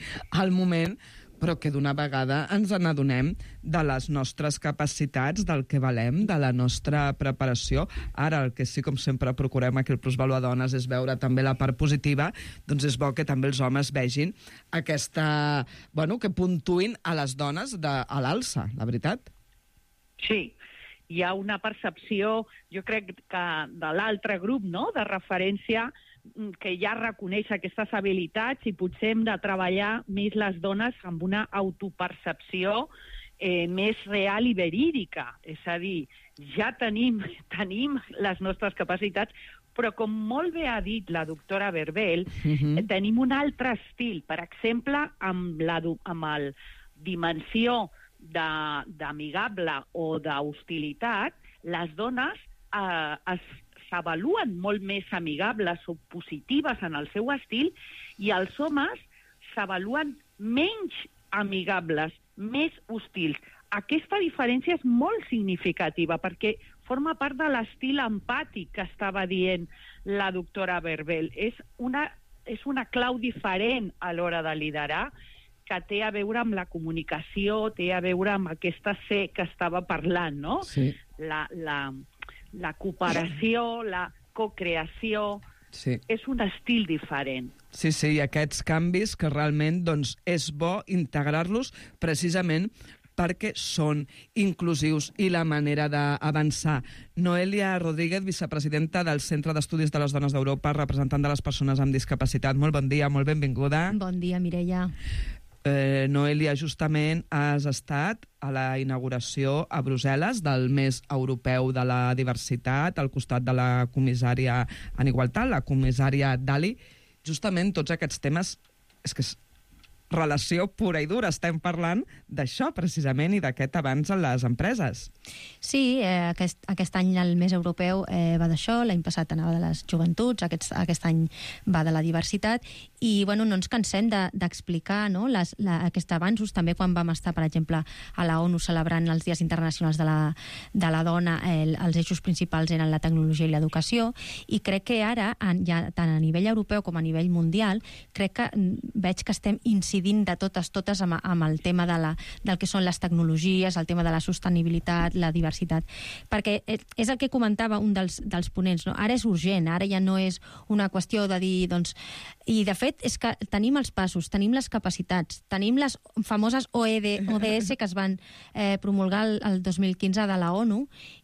el moment, però que d'una vegada ens n'adonem de les nostres capacitats, del que valem, de la nostra preparació. Ara, el que sí, com sempre, procurem aquí el Plusvalua Dones és veure també la part positiva, doncs és bo que també els homes vegin aquesta... Bueno, que puntuïn a les dones de, a l'alça, la veritat. Sí, hi ha una percepció, jo crec que de l'altre grup, no?, de referència, que ja reconeix aquestes habilitats i potser hem de treballar més les dones amb una autopercepció eh, més real i verídica. És a dir, ja tenim, tenim les nostres capacitats, però com molt bé ha dit la doctora Berbel, uh-huh. eh, tenim un altre estil. Per exemple, amb la amb el dimensió d'amigable o d'hostilitat, les dones eh, s'avaluen molt més amigables o positives en el seu estil i els homes s'avaluen menys amigables, més hostils. Aquesta diferència és molt significativa perquè forma part de l'estil empàtic que estava dient la doctora Berbel. És una, és una clau diferent a l'hora de liderar, que té a veure amb la comunicació, té a veure amb aquesta C que estava parlant, no? Sí. La, la, la cooperació, la cocreació, sí. És un estil diferent. Sí, sí, i aquests canvis que realment doncs, és bo integrar-los precisament perquè són inclusius i la manera d'avançar. Noelia Rodríguez, vicepresidenta del Centre d'Estudis de les Dones d'Europa, representant de les persones amb discapacitat. Molt bon dia, molt benvinguda. Bon dia, Mireia. Eh, Noelia, justament has estat a la inauguració a Brussel·les del Mes Europeu de la Diversitat, al costat de la comissària en Igualtat, la comissària Dalli. Justament tots aquests temes és que relació pura i dura. Estem parlant d'això, precisament, i d'aquest avanç en les empreses. Sí, eh, aquest, aquest any el mes europeu eh, va d'això, l'any passat anava de les joventuts, aquest, aquest any va de la diversitat, i bueno, no ens cansem d'explicar de, no, les, la, aquests avanços, també quan vam estar, per exemple, a la ONU celebrant els Dies Internacionals de la, de la Dona, el, els eixos principals eren la tecnologia i l'educació, i crec que ara, en, ja, tant a nivell europeu com a nivell mundial, crec que veig que estem incidint de totes, totes amb, amb el tema de la, del que són les tecnologies, el tema de la sostenibilitat, la diversitat, perquè és el que comentava un dels, dels ponents, no? Ara és urgent, ara ja no és una qüestió de dir, doncs... I, de fet, és que tenim els passos, tenim les capacitats, tenim les famoses O E D S que es van eh, promulgar el, el dos mil quinze de la ONU,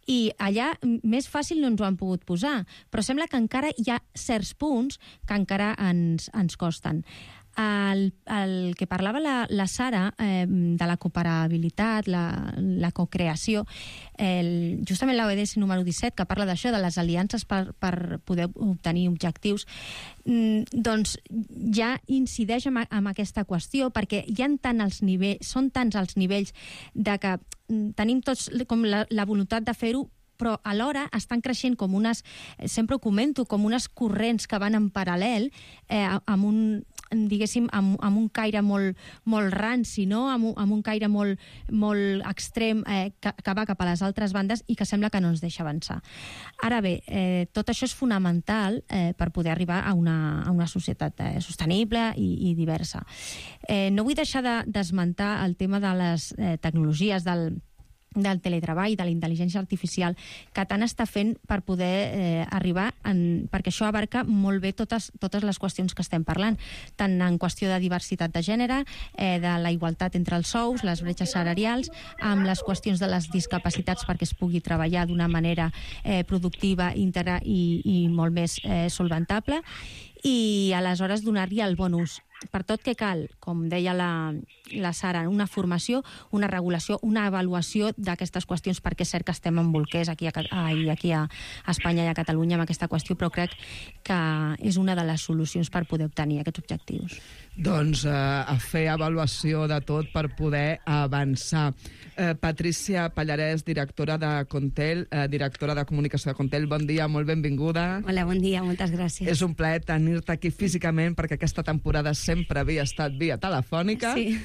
i allà més fàcil no ens ho han pogut posar, però sembla que encara hi ha certs punts que encara ens, ens costen. El, el que parlava la, la Sara eh, de la cooperabilitat, la, la cocreació, el, justament l'O E D S número disset, que parla d'això, de les aliances per, per poder obtenir objectius, mm, doncs ja incideix en, en aquesta qüestió, perquè hi ha tant els nivells, són tants els nivells de que mm, tenim tots com la, la voluntat de fer-ho, però alhora estan creixent com unes, sempre ho comento, com unes corrents que van en paral·lel, eh, amb un diguéssim, amb, amb un caire molt, molt ranci, no? amb, un, amb un caire molt, molt extrem eh, que, que va cap a les altres bandes i que sembla que no ens deixa avançar. Ara bé, eh, tot això és fonamental eh, per poder arribar a una, a una societat eh, sostenible i, i diversa. Eh, no vull deixar d'esmentar de, el tema de les eh, tecnologies, del del teletreball, de la intel·ligència artificial, que tant està fent per poder eh, arribar, en, perquè això abarca molt bé totes, totes les qüestions que estem parlant, tant en qüestió de diversitat de gènere, eh, de la igualtat entre els sous, les bretxes salarials, amb les qüestions de les discapacitats perquè es pugui treballar d'una manera eh, productiva, íntegra i, i molt més eh, solventable, i aleshores donar-li el bon ús. Per tot que cal, com deia la, la Sara, una formació, una regulació, una avaluació d'aquestes qüestions, perquè és cert que estem en bolquers aquí a, aquí a Espanya i a Catalunya amb aquesta qüestió, però crec que és una de les solucions per poder obtenir aquests objectius. Doncs eh, a fer avaluació de tot per poder avançar. Eh, Patrícia Pallarès, directora de Contel, eh, directora de comunicació de Contel, bon dia, molt benvinguda. Hola, bon dia, moltes gràcies. És un plaer tenir-te aquí físicament, perquè aquesta temporada sempre havia estat via telefònica. Sí.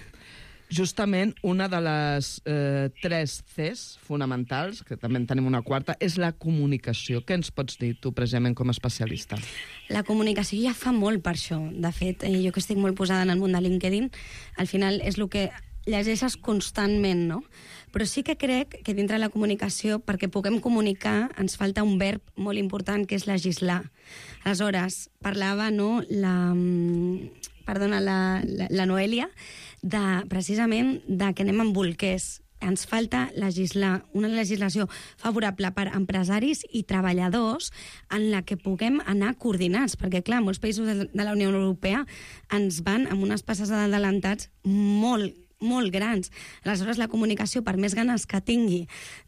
Justament una de les eh, tres Cs fonamentals, que també en tenim una quarta, és la comunicació. Què ens pots dir tu, precisament, com a especialista? La comunicació ja fa molt per això. De fet, jo que estic molt posada en el món de LinkedIn, al final és el que llegeixes constantment, no? Però sí que crec que dintre de la comunicació, perquè puguem comunicar, ens falta un verb molt important, que és legislar. Aleshores, parlava, no, la... perdona, la, la, la Noèlia, de, precisament de que anem amb bolquers. Ens falta legislar, una legislació favorable per empresaris i treballadors en la que puguem anar coordinats, perquè, clar, molts països de, de la Unió Europea ens van amb unes passes adelantats molt molt grans. Aleshores, la comunicació, per més ganes que tingui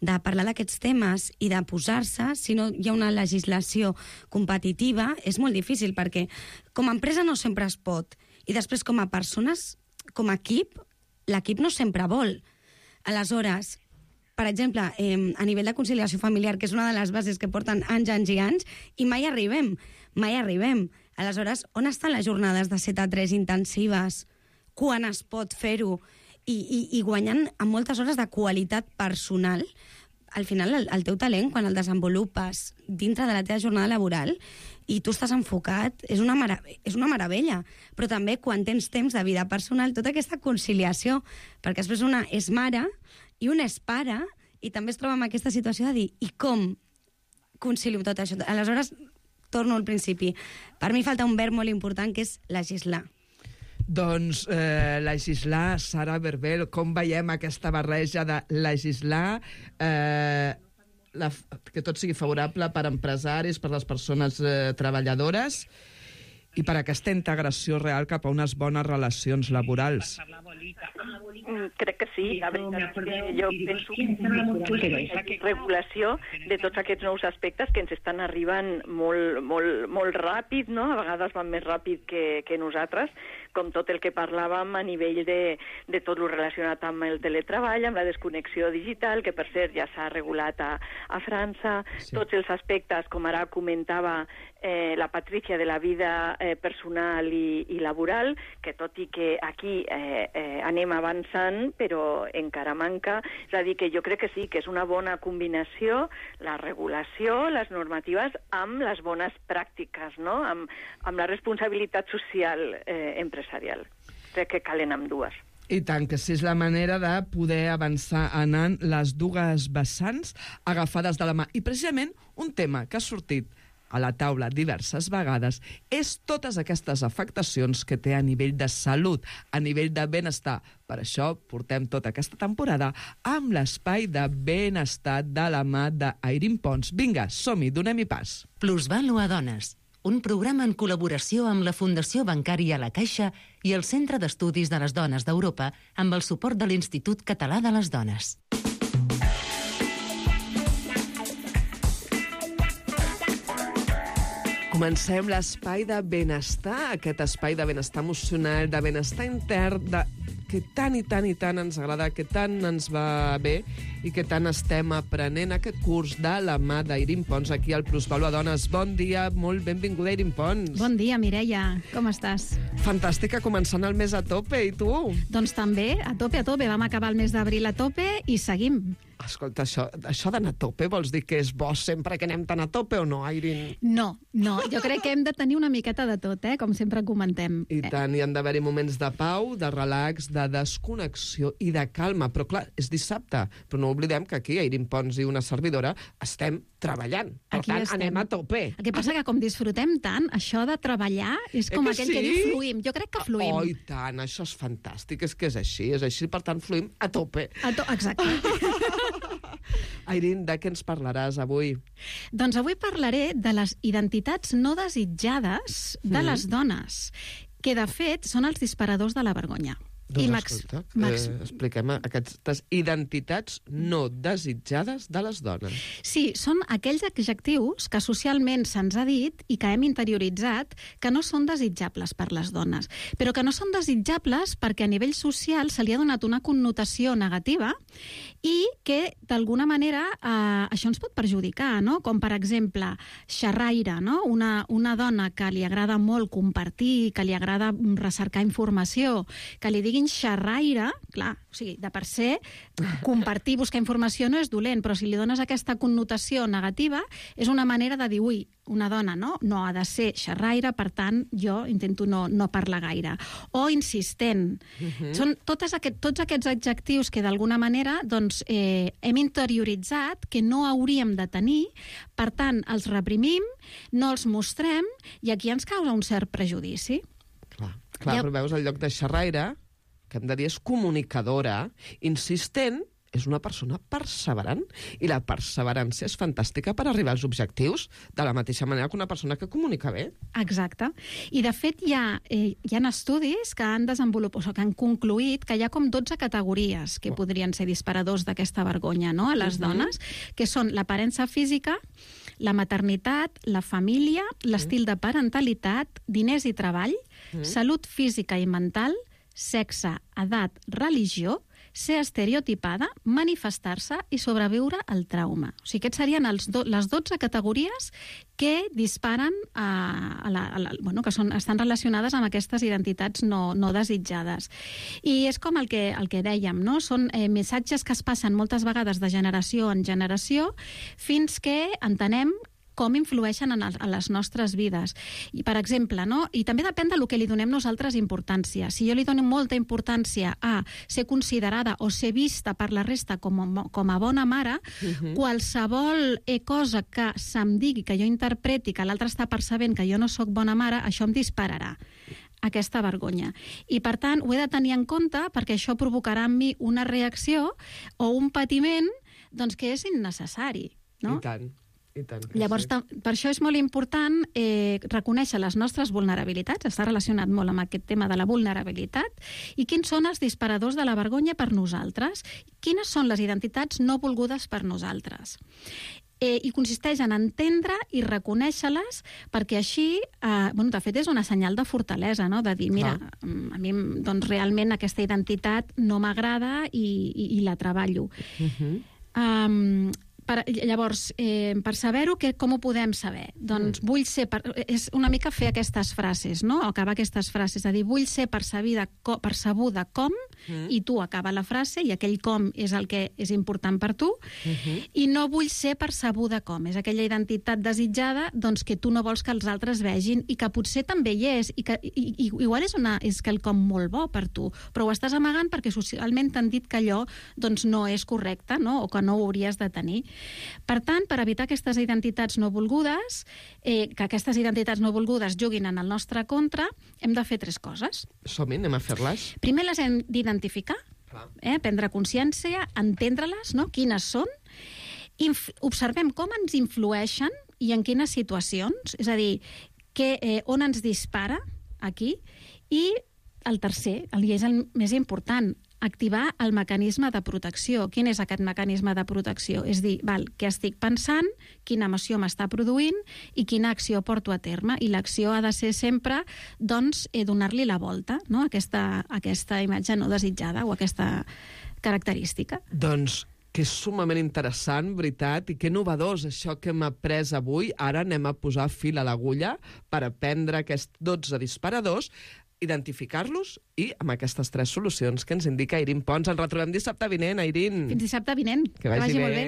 de parlar d'aquests temes i de posar-se, si no hi ha una legislació competitiva, és molt difícil, perquè com a empresa no sempre es pot. I després, com a persones, com a equip, l'equip no sempre vol. Aleshores, per exemple, eh, a nivell de conciliació familiar, que és una de les bases que porten anys, anys i anys, i mai arribem, mai arribem. Aleshores, on estan les jornades de set a tres intensives? Quan es pot fer-ho? I, i, i guanyant amb moltes hores de qualitat personal, al final el, el teu talent, quan el desenvolupes dintre de la teva jornada laboral i tu estàs enfocat, és una, mara és una meravella. Però també quan tens temps de vida personal, tota aquesta conciliació, perquè després una és mare i una és pare, i també es troba en aquesta situació de dir, i com concilio tot això? Aleshores, torno al principi. Per mi falta un verb molt important, que és legislar. Doncs eh, legislar, Sara Berbel, com veiem aquesta barreja de legislar, eh, la, que tot sigui favorable per empresaris, per les persones eh, treballadores i per aquesta integració real cap a unes bones relacions laborals? Crec que sí. La veritat és que jo penso que hi ha regulació de tots aquests nous aspectes que ens estan arribant molt, molt, molt ràpid, no? A vegades van més ràpid que, que nosaltres, com tot el que parlàvem a nivell de, de tot el relacionat amb el teletreball, amb la desconnexió digital, que per cert ja s'ha regulat a, a França, sí. Tots els aspectes, com ara comentava eh, la Patrícia, de la vida eh, personal i, i laboral, que tot i que aquí eh, eh, anem avançant, però encara manca. És a dir, que jo crec que sí, que és una bona combinació, la regulació, les normatives, amb les bones pràctiques, no? amb, amb la responsabilitat social eh, empresarial. Crec que calen amb dues. I tant, que sí, és la manera de poder avançar anant les dues vessants agafades de la mà. I precisament un tema que ha sortit a la taula diverses vegades és totes aquestes afectacions que té a nivell de salut, a nivell de benestar. Per això portem tota aquesta temporada amb l'espai de benestar de la mà d'Airín Pons. Vinga, som-hi, donem-hi pas. Plusvalua Dones, un programa en col·laboració amb la Fundació Bancària La Caixa i el Centre d'Estudis de les Dones d'Europa amb el suport de l'Institut Català de les Dones. Comencem l'espai de benestar, aquest espai de benestar emocional, de benestar intern, de... que tant i tant i tant ens agrada, que tant ens va bé i que tant estem aprenent aquest curs de la mà d'Airín Pons aquí al Plusvalua Dones. Bon dia, molt benvinguda, Airín Pons. Bon dia, Mireia. Com estàs? Fantàstica, començant el mes a tope, i tu? Doncs també, a tope, a tope. Vam acabar el mes d'abril a tope i seguim. Escolta, això, això d'anar a tope vols dir que és bo sempre que anem tan a tope o no, Airín? No, no. Jo crec que hem de tenir una miqueta de tot, eh? Com sempre comentem. I tant, hi han d'haver-hi moments de pau, de relax, de desconnexió i de calma. Però clar, és dissabte, però no oblidem que aquí, Airín Pons i una servidora, estem treballant. Per Aquí tant, estem. anem a tope. El que passa que com disfrutem tant, això de treballar és com Eh que aquell sí? que diu fluïm. Jo crec que fluïm. Oh, i tant, això és fantàstic, és que és així, és així, per tant, fluïm a tope. A to Exacte. Airín, de què ens parlaràs avui? Doncs avui parlaré de les identitats no desitjades de Mm. les dones, que de fet són els disparadors de la vergonya. Doncs Max- escolta, Max- eh, expliquem aquestes identitats no desitjades de les dones. Sí, són aquells adjectius que socialment se'ns ha dit i que hem interioritzat que no són desitjables per les dones, però que no són desitjables perquè a nivell social se li ha donat una connotació negativa i que, d'alguna manera, eh, això ens pot perjudicar, no? Com, per exemple, xerraire, no? Una, una dona que li agrada molt compartir, que li agrada recercar informació, que li diguin xerraire, clar, o sigui, de per ser, compartir, buscar informació no és dolent, però si li dones aquesta connotació negativa, és una manera de dir, ui, una dona no, no ha de ser xerraire, per tant, jo intento no, no parlar gaire. O insistent. Mhm. Són totes aquest, tots aquests adjectius que, d'alguna manera, doncs, eh, hem interioritzat que no hauríem de tenir, per tant, els reprimim, no els mostrem, i aquí ens causa un cert prejudici. Clar, clar Ja- però veus, el lloc de xerraire, que hem de dir és comunicadora, insistent, és una persona perseverant, i la perseverància és fantàstica per arribar als objectius, de la mateixa manera que una persona que comunica bé. Exacte. I, de fet, hi ha, eh, hi ha estudis que han desenvolupat, o que han concluït que hi ha com dotze categories que podrien ser disparadors d'aquesta vergonya, no?, a les Mhm. dones, que són l'aparença física, la maternitat, la família, l'estil de parentalitat, diners i treball, Mhm. salut física i mental, sexe, edat, religió, ser estereotipada, manifestar-se i sobreviure al trauma. O sigui, aquests serien els do, les dotze categories que disparen a, a la, a la, bueno, que són, estan relacionades amb aquestes identitats no, no desitjades. I és com el que, el que dèiem, no? Són eh, missatges que es passen moltes vegades de generació en generació fins que entenem com influeixen en, el, en les nostres vides. I, per exemple, no? I també depèn del que li donem nosaltres importància. Si jo li dono molta importància a ser considerada o ser vista per la resta com a, com a bona mare, Mhm. qualsevol eh, cosa que se'm digui, que jo interpreti, que l'altre està percebent que jo no sóc bona mare, això em dispararà aquesta vergonya. I, per tant, ho he de tenir en compte perquè això provocarà en mi una reacció o un patiment doncs, que és innecessari. No? I tant. I tant que Llavors, sí. ta- per això és molt important eh, reconèixer les nostres vulnerabilitats, està relacionat molt amb aquest tema de la vulnerabilitat, i quins són els disparadors de la vergonya per nosaltres, quines són les identitats no volgudes per nosaltres. eh, i consisteix en entendre i reconèixer-les, perquè així, eh, bueno, de fet, és una senyal de fortalesa, no? De dir, mira, Clar. a mi doncs, realment aquesta identitat no m'agrada i, i, i la treballo. Uh-huh. Um, Per, llavors, eh, per saber-ho, que, com ho podem saber? Doncs mm. vull ser... Per, és una mica fer aquestes frases, no? Acabar aquestes frases, és a dir, vull ser percebida, percebuda com, mm. i tu acaba la frase, i aquell com és el que és important per tu, mm-hmm. i no vull ser percebuda com. És aquella identitat desitjada doncs, que tu no vols que els altres vegin, i que potser també hi és, i que i, i, igual és, una, és quelcom molt bo per tu, però ho estàs amagant perquè socialment t'han dit que allò doncs, no és correcte, no? O que no ho hauries de tenir. Per tant, per evitar aquestes identitats no volgudes, eh, que aquestes identitats no volgudes juguin en el nostre contra, hem de fer tres coses. Som-hi, anem a fer-les. Primer les hem d'identificar, eh, prendre consciència, entendre-les, no? Quines són, Inf- observem com ens influeixen i en quines situacions, és a dir, que, eh, on ens dispara aquí, i el tercer, i és el més important, activar el mecanisme de protecció. Quin és aquest mecanisme de protecció? És dir, val, què estic pensant, quina emoció m'està produint i quina acció porto a terme. I l'acció ha de ser sempre doncs, eh, donar-li la volta, no? aquesta, aquesta imatge no desitjada o aquesta característica. Doncs que és sumament interessant, veritat, i que innovadors això que hem après avui. Ara anem a posar fil a l'agulla per aprendre aquests dotze disparadors, identificar-los i amb aquestes tres solucions que ens indica Irin Pons. Ens retrobem dissabte vinent, Irin. Fins dissabte vinent. Que vagi, que vagi bé. Molt bé.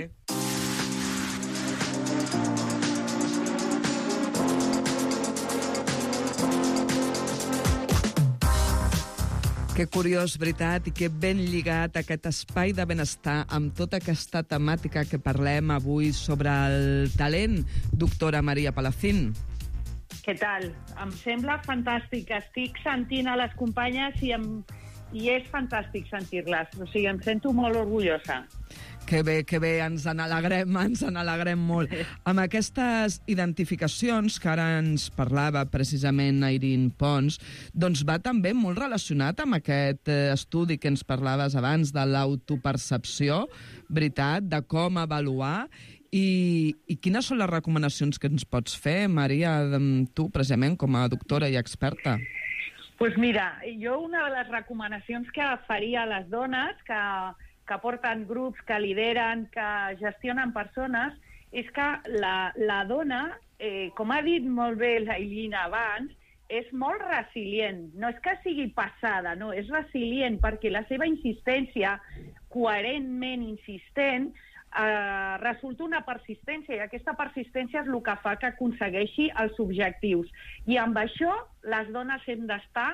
Que curiós, veritat, i que ben lligat aquest espai de benestar amb tota aquesta temàtica que parlem avui sobre el talent, doctora Maria Palacín. Què tal? Em sembla fantàstic. Estic sentint a les companyes i, em... i és fantàstic sentir-les. O sigui, em sento molt orgullosa. Que bé, que bé, ens n'alegrem, ens n'alegrem molt. Amb aquestes identificacions que ara ens parlava precisament Irin Pons, doncs va també molt relacionat amb aquest estudi que ens parlaves abans de l'autopercepció, veritat, de com avaluar. I, I quines són les recomanacions que ens pots fer, Maria, tu, precisament, com a doctora i experta? Doncs pues mira, jo una de les recomanacions que faria a les dones que, que porten grups, que lideren, que gestionen persones, és que la, la dona, eh, com ha dit molt bé la Ilina abans, és molt resilient. No és que sigui passada, no, és resilient perquè la seva insistència, coherentment insistent, Uh, resulta una persistència, i aquesta persistència és el que fa que aconsegueixi els objectius. I amb això les dones hem d'estar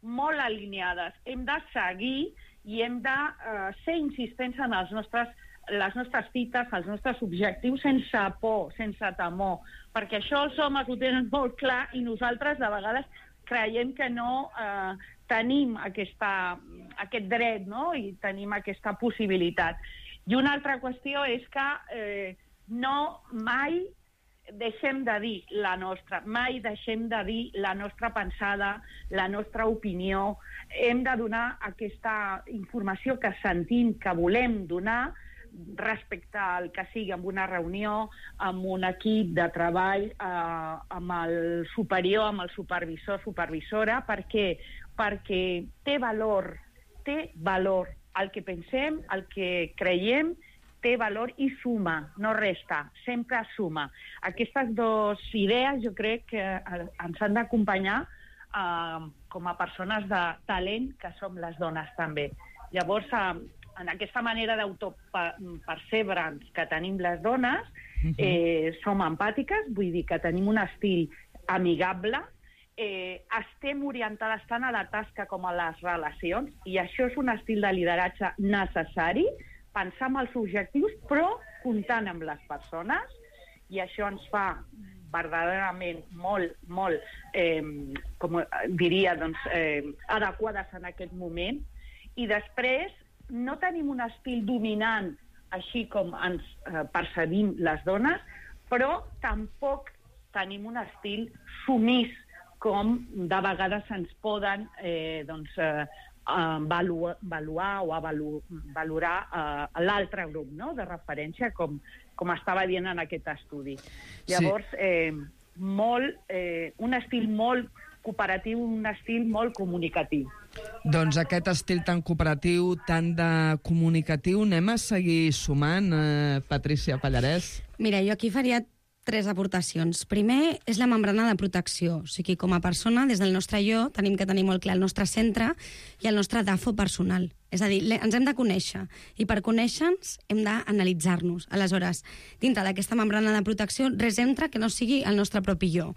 molt alineades, hem de seguir i hem de uh, ser insistents en els nostres, les nostres fites, els nostres objectius, sense por, sense temor, perquè això els homes ho tenen molt clar i nosaltres de vegades creiem que no uh, tenim aquesta, aquest dret, no? I tenim aquesta possibilitat. I una altra qüestió és que eh, no mai deixem de dir la nostra, mai deixem de dir la nostra pensada, la nostra opinió. Hem de donar aquesta informació que sentim, que volem donar, respecte al que sigui en una reunió, amb un equip de treball, eh, amb el superior, amb el supervisor, supervisora, perquè, perquè té valor, té valor. El que pensem, el que creiem, té valor i suma, no resta, sempre suma. Aquestes dues idees jo crec que ens han d'acompanyar eh, com a persones de talent que som les dones també. Llavors, eh, en aquesta manera d'autopercebre'ns que tenim les dones, eh, som empàtiques, vull dir que tenim un estil amigable, Eh, estem orientades tant a la tasca com a les relacions, i això és un estil de lideratge necessari, pensar en els objectius però comptant amb les persones, i això ens fa verdaderament molt, molt, eh, com diria, doncs, eh, adequades en aquest moment. I després no tenim un estil dominant així com ens eh, percebim les dones, però tampoc tenim un estil sumís com de vegades ens poden eh, doncs, eh, avaluar, avaluar o avalu, valorar uh, l'altre grup, no?, de referència, com, com estava dient en aquest estudi. Llavors, sí. eh, molt, eh, un estil molt cooperatiu, un estil molt comunicatiu. Doncs aquest estil tan cooperatiu, tan de comunicatiu, anem a seguir sumant, eh, Patrícia Pallarès? Mira, jo aquí faria tres aportacions. Primer, és la membrana de protecció. O sigui, com a persona, des del nostre jo, tenim que tenir molt clar el nostre centre i el nostre D A F O personal. És a dir, ens hem de conèixer, i per conèixer-nos hem d'analitzar-nos. Aleshores, dintre d'aquesta membrana de protecció, res entra que no sigui el nostre propi jo.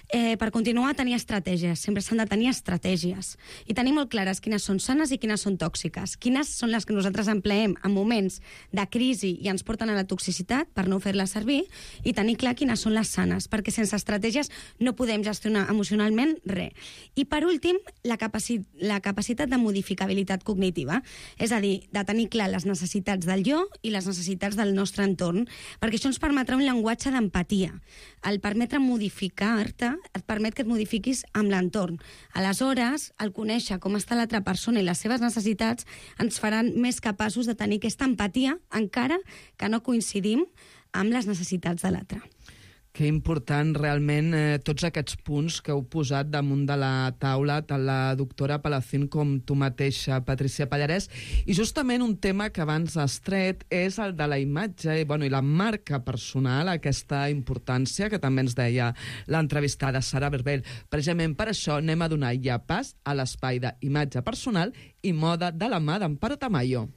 Eh, per continuar, tenir estratègies. Sempre s'han de tenir estratègies. I tenir molt clares quines són sanes i quines són tòxiques. Quines són les que nosaltres empleem en moments de crisi i ens porten a la toxicitat per no fer-les servir, i tenir clar quines són les sanes, perquè sense estratègies no podem gestionar emocionalment res. I per últim, la, capaci la capacitat de modificabilitat cognitiva. És a dir, de tenir clar les necessitats del jo i les necessitats del nostre entorn, perquè això ens permetrà un llenguatge d'empatia. El permetre modificar-te et permet que et modifiquis amb l'entorn. Aleshores, el conèixer com està l'altra persona i les seves necessitats ens faran més capaços de tenir aquesta empatia, encara que no coincidim amb les necessitats de l'altre. Que important, realment, eh, tots aquests punts que heu posat damunt de la taula, tant la doctora Palacín com tu mateixa, Patrícia Pallarès. I justament un tema que abans has tret és el de la imatge i, bueno, i la marca personal, aquesta importància que també ens deia l'entrevistada Sara Berbel. Precisament per això anem a donar ja pas a l'espai d'imatge personal i moda de la mà d'Amparo Tamayo.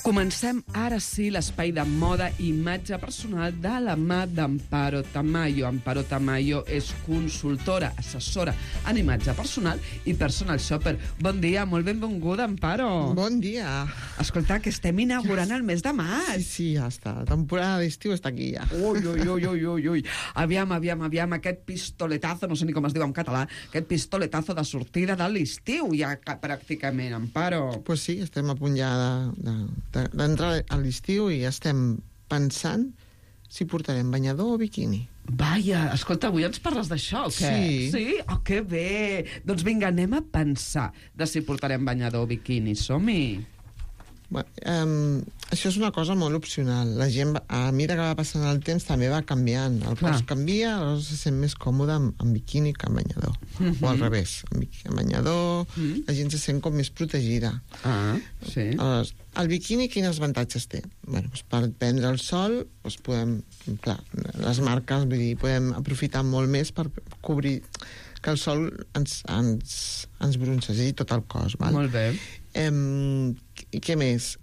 Comencem ara sí l'espai de moda i imatge personal de la mà d'Amparo Tamayo. Amparo Tamayo és consultora, assessora en imatge personal i personal shopper. Bon dia, molt benvinguda, Amparo. Bon dia. Escolta, que estem inaugurant el mes de maig. Sí, sí, ja està. La temporada d'estiu està aquí ja. Ui, ui, ui, ui, ui, ui. Aviam, aviam, aviam, aquest pistoletazo, no sé ni com es diu en català, aquest pistoletazo de sortida de l'estiu ja pràcticament, Amparo. Pues sí, estem a punt ja de, de d'entrar a l'estiu i estem pensant si portarem banyador o biquini. Vaja, escolta, avui ens parles d'això, o què? Sí. Sí? Oh, que bé! Doncs vinga, anem a pensar de si portarem banyador o biquini. Som-hi! Bueno, um, això és una cosa molt opcional. La gent, a mesura que va passant el temps, també va canviant. El cos canvia, aleshores se sent més còmode amb, amb biquini que amb banyador. Mm-hmm. O al revés, amb, amb banyador, mm-hmm. la gent se sent com més protegida. Ah, sí. Aleshores, el biquini quins avantatges té? Bueno, doncs per prendre el sol, doncs podem, clar, les marques, vull dir, podem aprofitar molt més per cobrir que el sol ens, ens, ens broncegi tot el cos. Val? Molt bé. Eh, què més?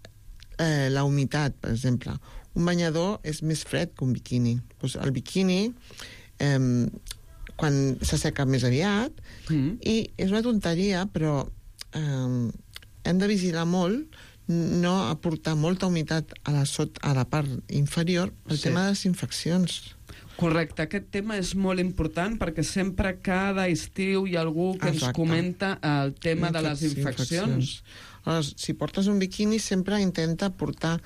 Eh, la humitat, per exemple. Un banyador és més fred que un biquini. Pues el biquini, eh, quan s'asseca més aviat, mm. i és una tonteria, però eh, hem de vigilar molt no aportar molta humitat a la, sot, a la part inferior pel sí. tema de les infeccions. Correcte, aquest tema és molt important perquè sempre cada estiu hi ha algú que Exacte. ens comenta el tema de les infeccions. infeccions. Aleshores, si portes un biquini sempre intenta portar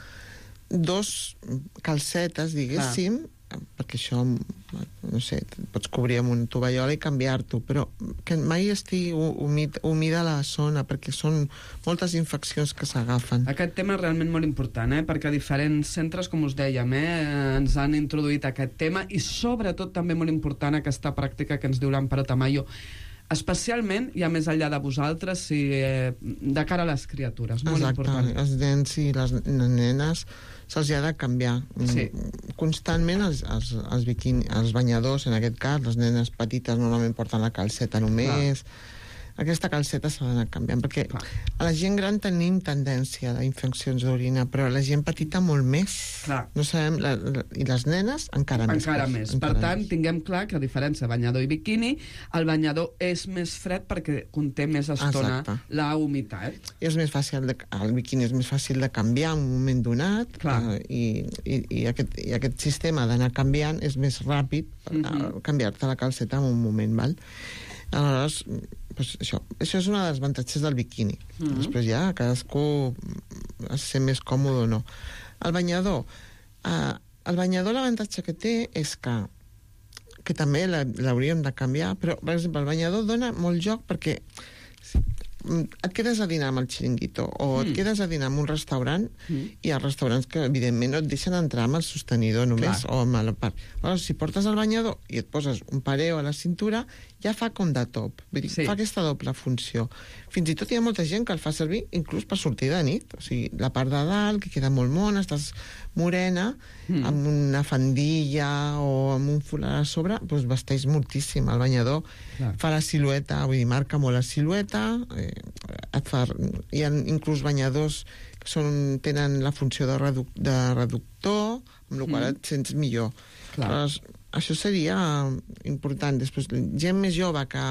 dos calcetes, diguéssim, ah. perquè això, no sé, pots cobrir amb un tovallola i canviar-t'ho, però que mai estigui humid, humida la zona, perquè són moltes infeccions que s'agafen. Aquest tema és realment molt important, eh? perquè diferents centres, com us dèiem, eh, ens han introduït aquest tema, i sobretot també molt important aquesta pràctica que ens diu l'Amparo Tamayo, especialment, ja més enllà de vosaltres, si, eh, de cara a les criatures. Molt Exacte. important. Els nens i les nenes se'ls ha de canviar sí. constantment els, els, els, biquini, els banyadors, en aquest cas. Les nenes petites normalment porten la calceta només. Clar. Aquesta calceta s'ha d'anar canviant, perquè Clar. a la gent gran tenim tendència a infeccions d'orina, però a la gent petita molt més. Clar. No sabem, la, la, i les nenes encara més. Encara més. Encara per tant, més. tinguem clar que a diferència de banyador i biquini, el banyador és més fred perquè conté més estona Exacte. la humitat. I és més fàcil de, el biquini és més fàcil de canviar en un moment donat, eh, i, i, i, aquest, i aquest sistema d'anar canviant és més ràpid per mm-hmm. canviar-te la calceta en un moment, val? Aleshores, pues això, això és un dels avantatges del biquini. Mm-hmm. Després ja cadascú es sent més còmode o no. El banyador, eh, el banyador l'avantatge que té és que, que també l'hauríem de canviar, però, per exemple, el banyador dona molt joc perquè et quedes a dinar amb el xiringuito o mm. et quedes a dinar en un restaurant mm. i hi ha restaurants que, evidentment, no et deixen entrar amb el sostenidor només. Clar. O amb la part. Llavors, si portes el banyador i et poses un pareo a la cintura, ja fa com de top. Vull dir, sí. fa aquesta doble funció. Fins i tot hi ha molta gent que el fa servir inclús per sortir de nit. O sigui, la part de dalt, que queda molt mona, estàs morena, mm. amb una faldilla o amb un folat a sobre, doncs vesteix moltíssim. El banyador Clar. fa la silueta, vull dir, marca molt la silueta, eh, et fa, hi ha inclús banyadors que són, tenen la funció de, reduc, de reductor, amb la qual mm. et sents millor. Però això seria important. Després, gent més jove que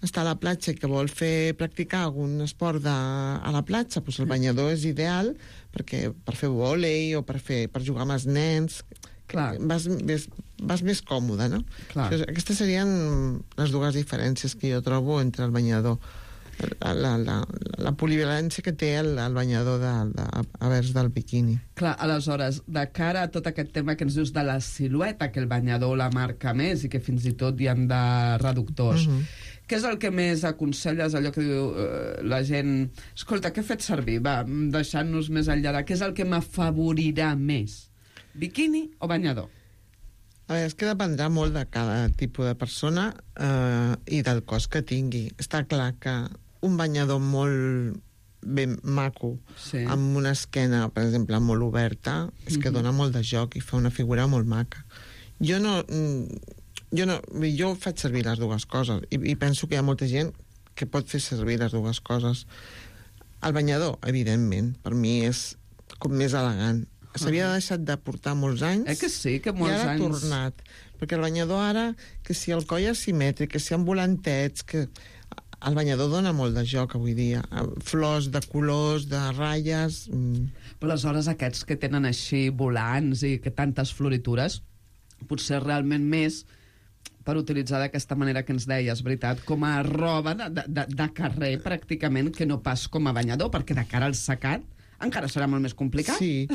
està a la platja i que vol fer practicar algun esport de, a la platja, doncs el banyador és ideal perquè per fer vòlei o per, fer, per jugar amb els nens. Clar. Vas, vas, vas més còmode, no? Clar. Aquestes serien les dues diferències que jo trobo entre el banyador. La, la, la, la polivalència que té el, el banyador de, de, a vers del biquini. Clar, aleshores, de cara a tot aquest tema que ens dius de la silueta, que el banyador la marca més i que fins i tot hi ha de reductors, uh -huh. què és el que més aconselles, allò que diu eh, la gent, escolta, què he fet servir? Va, deixant-nos més enllà, què és el que m'afavorirà més? Biquini o banyador? A veure, és que dependrà molt de cada tipus de persona eh, i del cos que tingui. Està clar que un banyador molt ben maco, sí. amb una esquena, per exemple, molt oberta, és que mm-hmm. dona molt de joc i fa una figura molt maca. Jo no... Jo, no, jo faig servir les dues coses i, i penso que hi ha molta gent que pot fer servir les dues coses. El banyador, evidentment, per mi és com més elegant. S'havia deixat de portar molts anys eh que sí, que molts i ara ha anys... tornat. Perquè el banyador ara, que si el coll és simètric, que si amb volantets, que el banyador dona molt de joc avui dia. Flors de colors, de ratlles... Mm. Però aleshores aquests que tenen així volants i que tantes floritures, potser realment més per utilitzar d'aquesta manera que ens deies, veritat, com a roba de, de, de carrer, pràcticament, que no pas com a banyador, perquè de cara al secat encara serà molt més complicat. Sí.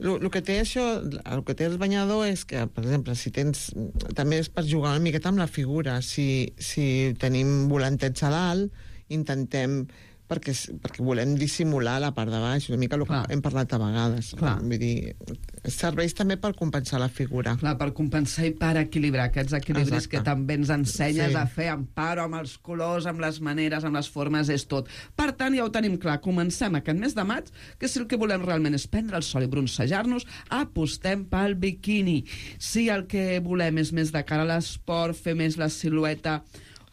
El que té això, el que té el banyador és que, per exemple, si tens... També és per jugar una miqueta amb la figura. Si, si tenim volantets a dalt, intentem... Perquè, perquè volem dissimular la part de baix, una mica el que Clar. hem parlat a vegades. Clar. Vull dir, serveix també per compensar la figura. Clar, per compensar i per equilibrar aquests equilibris Exacte. que també ens ensenyes sí. a fer amb paro, amb els colors, amb les maneres, amb les formes, és tot. Per tant, ja ho tenim clar, comencem aquest mes de maig, que si el que volem realment és prendre el sol i bronzejar-nos, apostem pel biquini. Si el que volem és més de cara a l'esport, fer més la silueta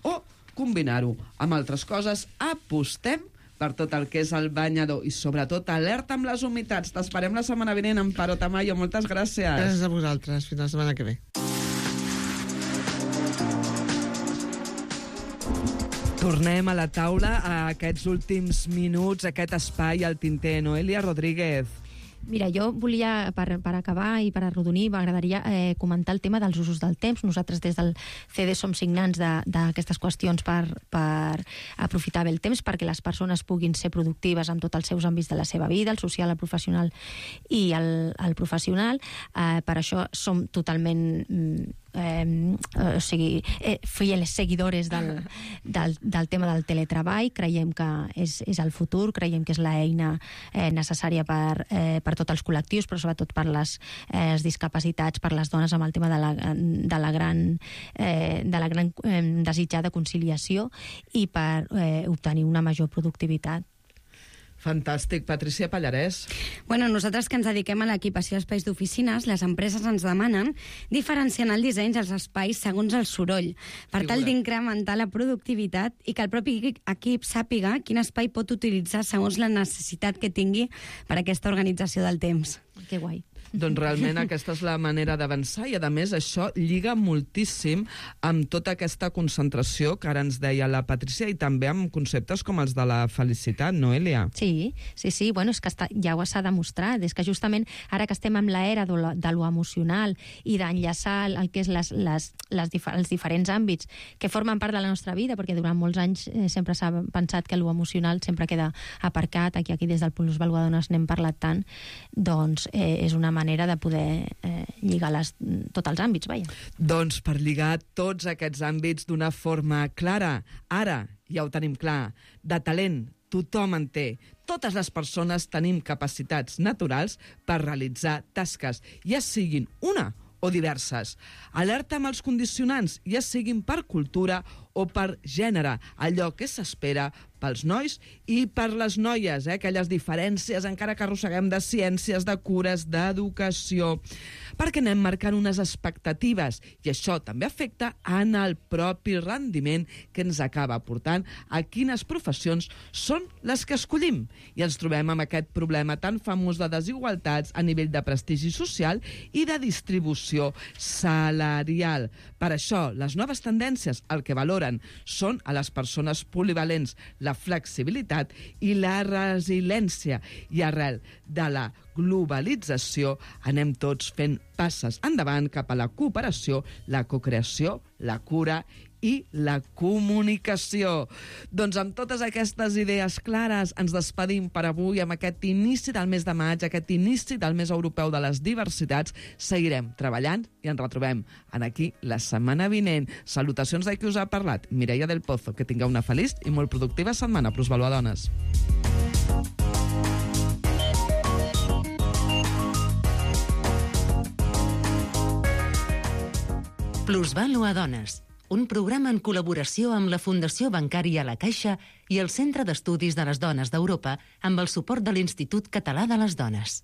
o combinar-ho amb altres coses, apostem per tot el que és el banyador i sobretot alerta amb les humitats. T'esperem la setmana vinent, Amparo Tamayo. Moltes gràcies. Gràcies a vosaltres. Fins la setmana que ve. Tornem a la taula a aquests últims minuts, aquest espai al tinter. Noelia Rodríguez. Mira, jo volia, per, per acabar i per arrodonir, m'agradaria eh, comentar el tema dels usos del temps. Nosaltres des del C D som signants d'aquestes qüestions per, per aprofitar bé el temps, perquè les persones puguin ser productives amb tots els seus àmbits de la seva vida, el social, el professional i el, el professional. Eh, per això som totalment... Eh, o sigui, eh, fieles seguidores del, del, del tema del teletreball. Creiem que és, és el futur, creiem que és l'eina eh, necessària per, eh, per tots els col·lectius, però sobretot per les eh, discapacitats, per les dones, amb el tema de la, de la gran, eh, de la gran eh, desitjada conciliació i per eh, obtenir una major productivitat. Fantàstic. Patricia Pallarès. Bueno, nosaltres que ens dediquem a l'equipació d'espais d'oficines, les empreses ens demanen diferenciar el disseny dels espais segons el soroll, per tal d'incrementar la productivitat i que el propi equip sàpiga quin espai pot utilitzar segons la necessitat que tingui per a aquesta organització del temps. Que guai. Doncs realment aquesta és la manera d'avançar i, a més, això lliga moltíssim amb tota aquesta concentració que ara ens deia la Patricia i també amb conceptes com els de la felicitat, Noelia. Sí, sí, sí. Bueno, és que està, ja ho s'ha demostrat. És que justament ara que estem amb l'era de, lo, de lo emocional i d'enllaçar el que és les, les, les dif els diferents àmbits que formen part de la nostra vida, perquè durant molts anys eh, sempre s'ha pensat que lo emocional sempre queda aparcat, aquí, aquí des del Plusvaluadores n'hem parlat tant, doncs eh, és una manera manera de poder eh, lligar les, tots els àmbits, vaja. Doncs per lligar tots aquests àmbits d'una forma clara, ara ja ho tenim clar, de talent, tothom en té. Totes les persones tenim capacitats naturals per realitzar tasques, ja siguin una o diverses. Alerta amb els condicionants, ja siguin per cultura o per gènere, allò que s'espera pels nois i per les noies, eh? Aquelles diferències encara que arrosseguem de ciències, de cures, d'educació, perquè anem marcant unes expectatives i això també afecta en el propi rendiment que ens acaba portant a quines professions són les que escollim. I ens trobem amb aquest problema tan famós de desigualtats a nivell de prestigi social i de distribució salarial. Per això, les noves tendències el que valoren són a les persones polivalents, la flexibilitat i la resiliència. I arrel de la globalització anem tots fent passes endavant cap a la cooperació, la cocreació, la cura i la comunicació. Doncs amb totes aquestes idees clares ens despedim per avui amb aquest inici del mes de maig, aquest inici del mes europeu de les diversitats. Seguirem treballant i ens retrobem en aquí la setmana vinent. Salutacions de qui us ha parlat, Mireia del Pozo. Que tingueu una feliç i molt productiva setmana. Plusvalua Dones. Plusvalua Dones, un programa en col·laboració amb la Fundació Bancària La Caixa i el Centre d'Estudis de les Dones d'Europa amb el suport de l'Institut Català de les Dones.